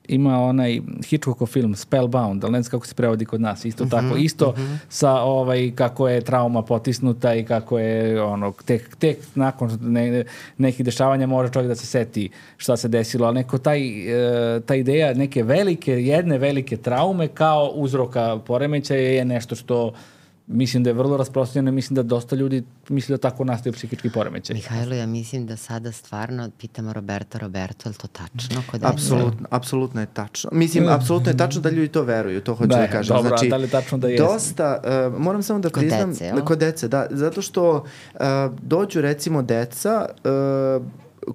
ima onaj Hitchcockov film Spellbound, ali ne znam kako se prevodi kod nas, isto uh-huh, tako, isto uh-huh. sa ovaj, kako je trauma potisnuta i kako je ono, tek, tek nakon ne, nekih dešavanja može čovjek da se seti šta se desilo, ali neko taj, e, ta ideja neke velike, jedne velike traume kao uzroka poremećaja je nešto što mislim da je vrlo rasprostranjeno i mislim da dosta ljudi misli da tako nastaju psihički poremećaj.
Mihajlo, ja mislim da sada stvarno pitamo Roberto, Roberto, je li to tačno?
Apsolutno, apsolutno je tačno. Mislim, apsolutno je tačno da ljudi to veruju, to hoću da, da kažem.
Dobro,
znači,
da li je tačno da jeste?
Dosta, uh, moram samo da
kod
priznam...
Dece, jel?
Kod dece, da. Zato što uh, dođu recimo deca... Uh,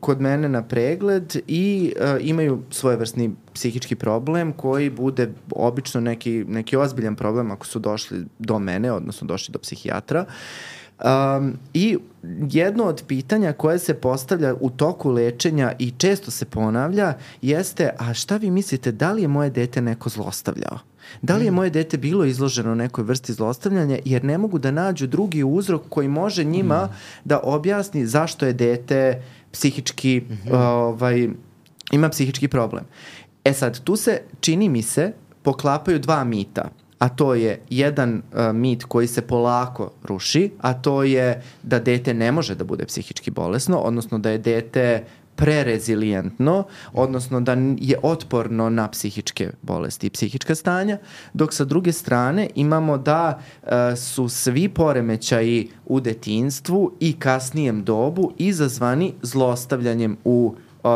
kod mene na pregled i uh, imaju svojevrsni psihički problem koji bude obično neki, neki ozbiljan problem ako su došli do mene, odnosno došli do psihijatra. Um, I jedno od pitanja koje se postavlja u toku lečenja i često se ponavlja jeste, a šta vi mislite, da li je moje dete neko zlostavljao? Da li je moje dete bilo izloženo nekoj vrsti zlostavljanja, jer ne mogu da nađu drugi uzrok koji može njima mm. da objasni zašto je dete psihički, mm-hmm. ovaj, ima psihički problem. E sad, tu se, čini mi se, poklapaju dva mita, a to je jedan uh, mit koji se polako ruši, a to je da dete ne može da bude psihički bolesno, odnosno da je dete prerezilijentno, odnosno da je otporno na psihičke bolesti i psihička stanja, dok sa druge strane imamo da uh, su svi poremećaji u detinjstvu i kasnijem dobu izazvani zlostavljanjem u, uh,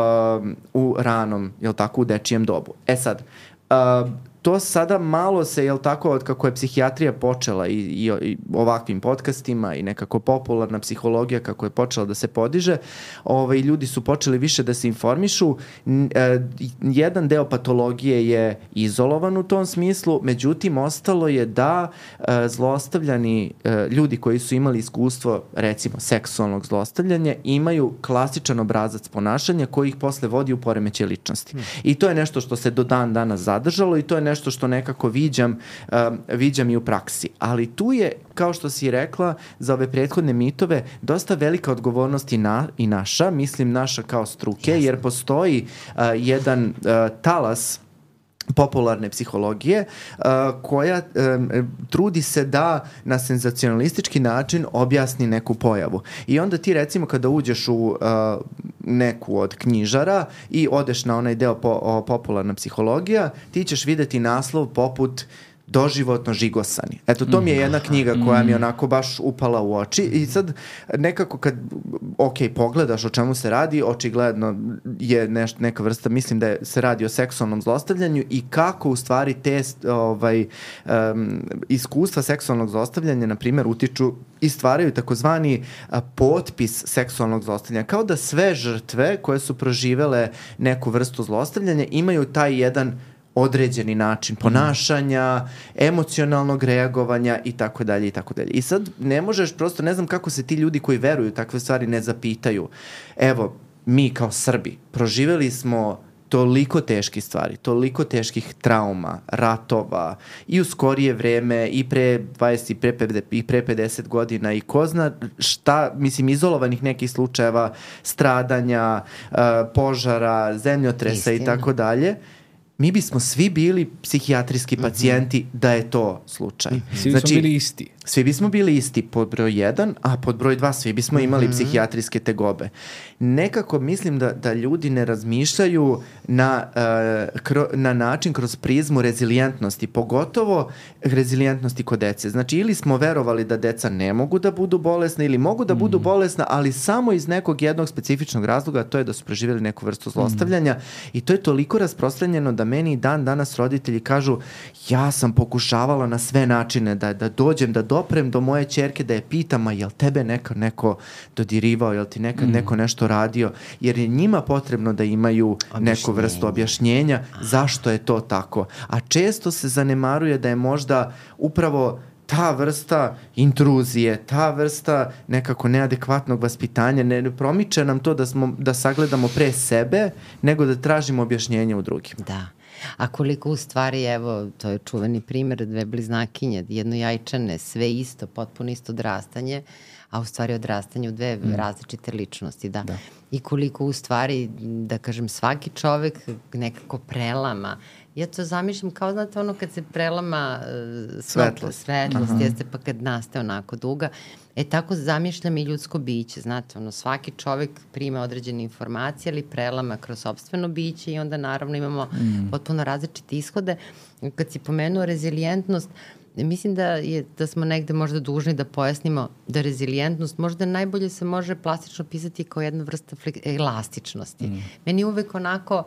u ranom, jel tako, u dečijem dobu. E sad, uh, to sada malo se, jel tako, od kako je psihijatrija počela i, i, i ovakvim podcastima i nekako popularna psihologija kako je počela da se podiže, ovaj, ljudi su počeli više da se informišu. E, jedan deo patologije je izolovan u tom smislu, međutim, ostalo je da e, zlostavljani e, ljudi koji su imali iskustvo, recimo, seksualnog zlostavljanja, imaju klasičan obrazac ponašanja koji ih posle vodi u poremećaj ličnosti. Hmm. I to je nešto što se do dan danas zadržalo i to je nešto što nekako viđam, um, viđam i u praksi. Ali tu je, kao što si rekla, za ove prethodne mitove dosta velika odgovornost i, na, i naša, mislim naša kao struke, yes. jer postoji uh, jedan uh, talas popularne psihologije uh, koja um, trudi se da na senzacionalistički način objasni neku pojavu. I onda ti recimo kada uđeš u uh, neku od knjižara i odeš na onaj deo po, o, popularna psihologija, ti ćeš videti naslov poput doživotno žigosani. Eto, to mi je jedna knjiga koja mi je onako baš upala u oči i sad nekako kad, ok, pogledaš o čemu se radi, očigledno je neš, neka vrsta, mislim da je, se radi o seksualnom zlostavljanju i kako u stvari te ovaj, um, iskustva seksualnog zlostavljanja, na primjer, utiču i stvaraju takozvani a, potpis seksualnog zlostavljanja. Kao da sve žrtve koje su proživele neku vrstu zlostavljanja imaju taj jedan određeni način ponašanja, emocionalnog reagovanja i tako dalje i tako dalje. I sad ne možeš, prosto ne znam kako se ti ljudi koji veruju takve stvari ne zapitaju. Evo, mi kao Srbi proživeli smo toliko teških stvari, toliko teških trauma, ratova i u skorije vreme i pre dvadeset i pre, i pre pedeset godina i ko zna šta, mislim, izolovanih nekih slučajeva stradanja, uh, požara, zemljotresa i tako dalje. Mi bismo svi bili psihijatrijski pacijenti mm-hmm. da je to slučaj.
Svi znači, bismo bili isti.
Svi bismo bili isti pod broj jedan, a pod broj dva svi bismo imali mm-hmm. psihijatrijske tegobe. Nekako mislim da, da ljudi ne razmišljaju na, uh, kro, na način kroz prizmu rezilijentnosti, pogotovo rezilijentnosti kod dece. Znači, ili smo verovali da deca ne mogu da budu bolesna ili mogu da budu mm-hmm. bolesna, ali samo iz nekog jednog specifičnog razloga, to je da su preživjeli neku vrstu zlostavljanja mm-hmm. i to je toliko rasprostranjeno da meni dan danas roditelji kažu ja sam pokušavala na sve načine da, da dođem, da doprem do moje ćerke, da je pitam, a jel tebe nekad neko dodirivao, jel ti nekad mm. neko nešto radio, jer je njima potrebno da imaju objašnjenje. Neku vrstu objašnjenja zašto je to tako. A često se zanemaruje da je možda upravo ta vrsta intruzije, ta vrsta nekako neadekvatnog vaspitanja, ne promiče nam to da, smo, da sagledamo pre sebe, nego da tražimo objašnjenje u drugim.
Da. A koliko u stvari, evo, to je čuveni primjer, dve bliznakinje, jedno jajčane, sve isto, potpuno isto odrastanje, a u stvari odrastanje u dve mm. različite ličnosti, da. da. I koliko u stvari, da kažem, svaki čovek nekako prelama. Ja to zamišljam kao, znate, ono kad se prelama uh, svetlost, svetlost uh-huh. jeste pa kad nastaje onako duga. E tako zamišljam i ljudsko biće, znate, ono, svaki čovek prima određene informacije, ali prelama kroz sopstveno biće i onda naravno imamo mm. potpuno različite ishode. Kad si pomenuo rezilijentnost, mislim da, je, da smo negde možda dužni da pojasnimo da rezilijentnost možda najbolje se može plastično pisati kao jedna vrsta elastičnosti. Mm. Meni uvek onako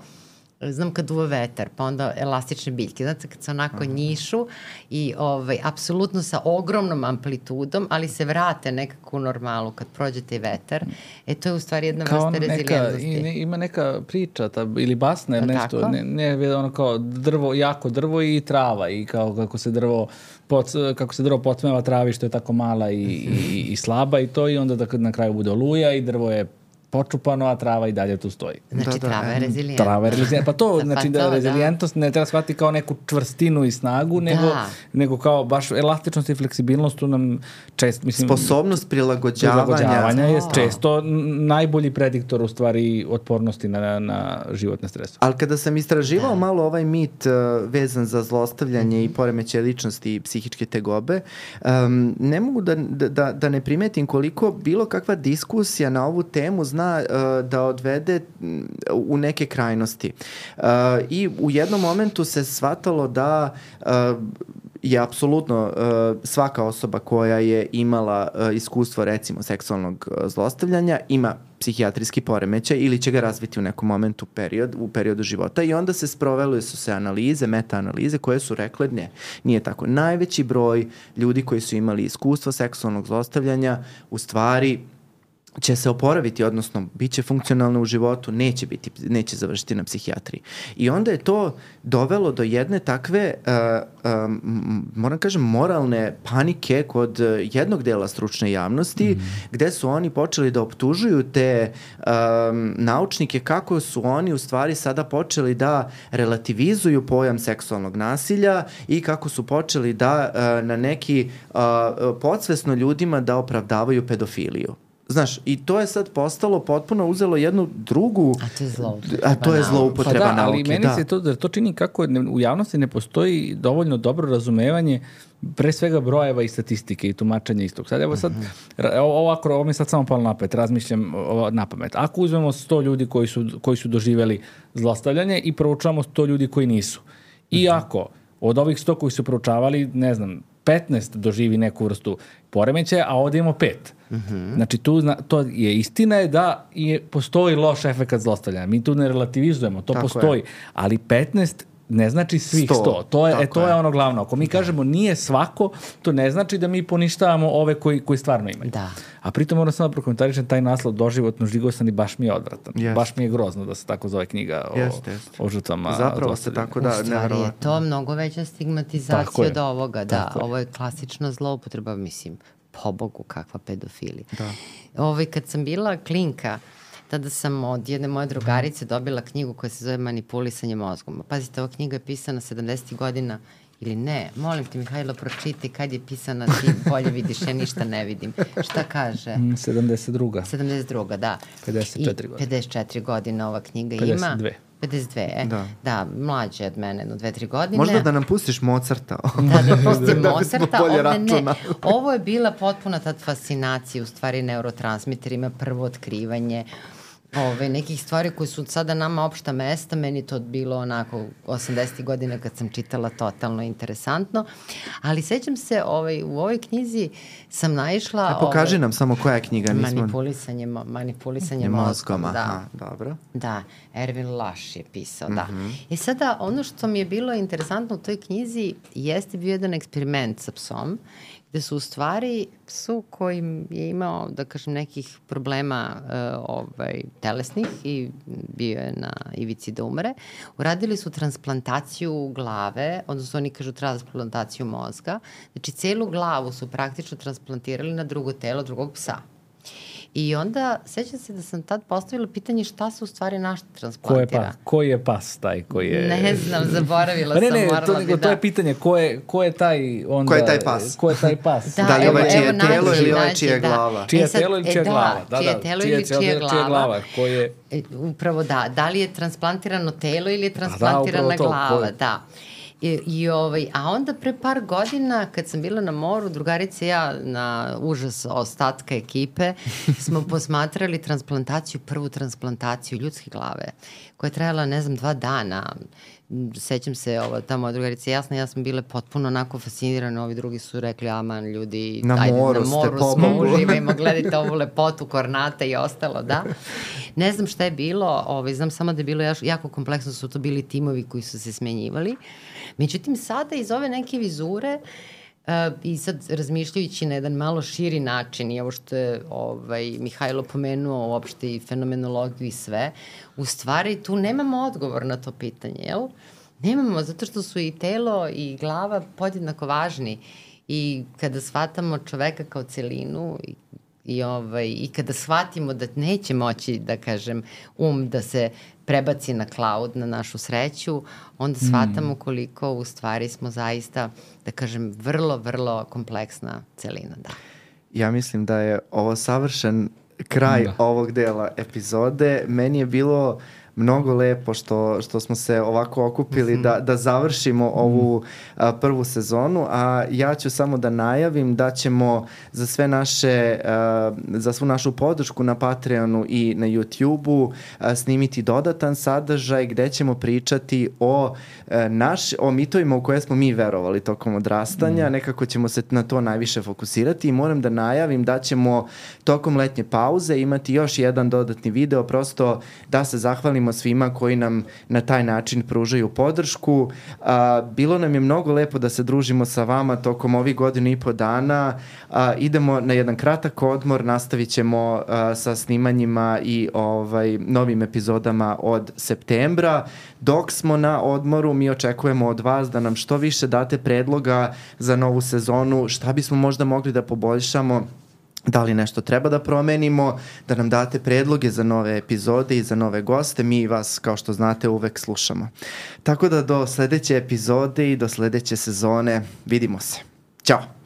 znam kad duva vetar, pa onda elastične biljke, znate, kad se onako njišu i ovaj, apsolutno sa ogromnom amplitudom, ali se vrate nekako u normalu kad prođe taj vetar, e to je u stvari jedna
kao
vrsta
neka,
rezilijentnosti.
i ne, ima neka priča ta, ili basna ili
Pa
nešto,
tako?
ne, ne, ono kao drvo, jako drvo i trava i kao kako se drvo Poc, kako se drvo podsmeva travi što je tako mala i, i, i slaba i to i onda da kad na kraju bude oluja i drvo je počupano, a trava i dalje tu stoji.
Znači,
Da, da,
trava je
em,
rezilijentna.
Trava je rezilijentna. Pa to,
Pa
znači
to,
da
da.
rezilijentnost ne treba shvatiti kao neku čvrstinu i snagu, nego,
Da.
nego kao baš elastičnost i fleksibilnost tu nam često, mislim...
Sposobnost prilagođavanja.
prilagođavanja je
To.
često n- najbolji prediktor u stvari otpornosti na, na životne stresove.
Ali kada sam istraživao malo ovaj mit uh, vezan za zlostavljanje i poremećaj ličnosti i psihičke tegobe, um, ne mogu da, da, da ne primetim koliko bilo kakva diskusija na ovu temu zna uh, da odvede mm, u neke krajnosti. Uh, I u jednom momentu se shvatalo da uh, je apsolutno uh, svaka osoba koja je imala uh, iskustvo recimo seksualnog uh, zlostavljanja ima psihijatrijski poremećaj ili će ga razviti u nekom momentu period, u periodu života i onda se sprovele su se analize, meta-analize koje su rekle ne, nije tako. Najveći broj ljudi koji su imali iskustvo seksualnog zlostavljanja u stvari će se oporaviti, odnosno bit će funkcionalno u životu, neće, biti, neće završiti na psihijatriji. I onda je to dovelo do jedne takve, uh, um, moram kažem, moralne panike kod jednog dela stručne javnosti, mm. gde su oni počeli da optužuju te um, naučnike kako su oni u stvari sada počeli da relativizuju pojam seksualnog nasilja i kako su počeli da uh, na neki uh, podsvesno ljudima da opravdavaju pedofiliju. Znaš, i to je sad postalo potpuno uzelo jednu drugu...
A to je zloupotreba
A to je
nauke.
zloupotreba
Pa da, ali
nauke,
meni
da.
se to, da to čini kako ne, u javnosti ne postoji dovoljno dobro razumevanje pre svega brojeva i statistike i tumačenja istog. Sad evo sad, ra- ovako, ovo mi sad samo palo napet, razmišljam ovo, na pamet. Ako uzmemo sto ljudi koji su, koji su doživjeli zlostavljanje i proučavamo sto ljudi koji nisu. I ako od ovih sto koji su proučavali, ne znam, petnaest doživi neku vrstu poremećaja, a ovdje imamo pet. Mm-hmm. Znači, tu zna, to je istina je da je, postoji loš efekat zlostavljanja. Mi tu ne relativizujemo, to
Tako
postoji.
je.
Ali petnaest ne znači svih
sto.
sto. To je, e,
Tako
to je.
je.
ono glavno. Ako mi kažemo nije svako, to ne znači da mi poništavamo ove koji, koji stvarno imaju.
Da.
A pritom moram samo da prokomentarišem taj naslov doživotno žigosan i baš mi je odvratan.
Jest.
Baš mi je grozno da se tako zove knjiga o,
Jeste, jeste.
o žrtvama
Zapravo se
zlostavljanja.
tako
U
da,
stvari je
neverovatno.
to mnogo veća
Tako
stigmatizacija
je.
od ovoga, da.
Tako je.
Ovo je klasična zloupotreba, mislim, pobogu kakva pedofilija.
Da.
Ovaj, kad sam bila klinka, tada sam od jedne moje drugarice dobila knjigu koja se zove Manipulisanje mozgom. Pazite, ova knjiga je pisana sedamdesetih godina ili ne. Molim te, Mihajlo, pročiti kad je pisana, ti bolje vidiš, ja ništa ne vidim. Šta kaže?
Mm, sedamdeset druga.
sedamdeset druga, da.
pedeset četiri
I
godine.
pedeset četiri godine ova knjiga
pedeset
ima.
dve.
pedeset dve, e.
Da.
Da, mlađe od mene, no dve, tri godine.
Možda da nam pustiš Mozarta.
Da, da pustim
Da bismo
Mozarta,
bolje
ovde ne.
računali.
Ovo je bila potpuna tad fascinacija, u stvari neurotransmiterima, prvo otkrivanje ove, nekih stvari koje su sada nama opšta mesta, meni to bilo onako osamdesetih godina kad sam čitala totalno interesantno, ali sećam se ovaj, u ovoj knjizi sam naišla...
E, pokaži
ovaj,
nam samo koja je knjiga. Nismo...
Manipulisanje, mo- manipulisanje
Mozgom,
mozgom, da.
aha, dobro.
Da, Ervin Laš je pisao, da.
Mhm.
I sada, ono što mi je bilo interesantno u toj knjizi jeste bio jedan eksperiment sa psom, gde su u stvari psu koji je imao, da kažem, nekih problema uh, ovaj, telesnih i bio je na ivici da umre, uradili su transplantaciju glave, odnosno oni kažu transplantaciju mozga, znači celu glavu su praktično transplantirali na drugo telo drugog psa. I onda, sećam se da sam tad postavila pitanje šta se u stvari naš
Ko je,
transplantira.
pas, ko je pas taj koji je...
Ne znam, zaboravila
Pa ne,
sam,
ne,
morala
to,
bi
nego,
da...
to je pitanje ko je, ko je taj onda...
Ko je taj pas?
Ko je taj pas?
Da,
Da li
evo,
ovaj čije
evo, nađi,
telo ili ovaj
nađi,
čija je
da.
glava?
Čije
E sad,
telo ili
e,
čija
da,
glava? Da,
čije
da,
telo
čije
ili
telo
čija
ili čija
glava.
glava? Ko je...
E, upravo da. Da li je transplantirano telo ili je transplantirana
upravo to,
glava?
ko je?
Da. I, i ovaj, a onda pre par godina kad sam bila na moru, drugarice i ja na užas ostatka ekipe smo posmatrali transplantaciju, prvu transplantaciju ljudske glave koja je trajala, ne znam, dva dana. sećam se, ovo, ta moja drugarica, jasno, ja sam bile potpuno onako fascinirane, ovi drugi su rekli, aman, ljudi,
na
ajde,
moru,
na moru
ste
smo, uživajmo, gledajte ovu lepotu, Kornata i ostalo, da. Ne znam šta je bilo, ovaj, znam samo da je bilo jako kompleksno, su to bili timovi koji su se smenjivali. Međutim, sada iz ove neke vizure, Uh, i sad razmišljajući na jedan malo širi način i ovo što je ovaj, Mihajlo pomenuo uopšte i fenomenologiju i sve, u stvari tu nemamo odgovor na to pitanje, jel? Nemamo, zato što su i telo i glava podjednako važni i kada shvatamo čoveka kao celinu i I, ovaj, i kada shvatimo da neće moći, da kažem, um da se prebaci na cloud, na našu sreću, onda shvatamo koliko u stvari smo zaista, da kažem, vrlo, vrlo kompleksna celina. Da.
Ja mislim da je ovo savršen kraj da. ovog dela epizode. Meni je bilo mnogo lepo što, što smo se ovako okupili mm-hmm. da, da završimo mm-hmm. ovu a, prvu sezonu, a ja ću samo da najavim da ćemo za sve naše, a, za svu našu podršku na Patreonu i na YouTubeu a, snimiti dodatan sadržaj gde ćemo pričati o, a, naš, o mitovima u koje smo mi verovali tokom odrastanja, mm. nekako ćemo se na to najviše fokusirati i moram da najavim da ćemo tokom letnje pauze imati još jedan dodatni video, prosto da se zahvalimo svima koji nam na taj način pružaju podršku. A, bilo nam je mnogo lepo da se družimo sa vama tokom ovih godinu i po dana. A, idemo na jedan kratak odmor, nastavit ćemo a, sa snimanjima i ovaj, novim epizodama od septembra. Dok smo na odmoru, mi očekujemo od vas da nam što više date predloga za novu sezonu, šta bismo možda mogli da poboljšamo, da li nešto treba da promenimo, da nam date predloge za nove epizode i za nove goste. Mi vas, kao što znate, uvek slušamo. Tako da do sledeće epizode i do sledeće sezone vidimo se. Ćao!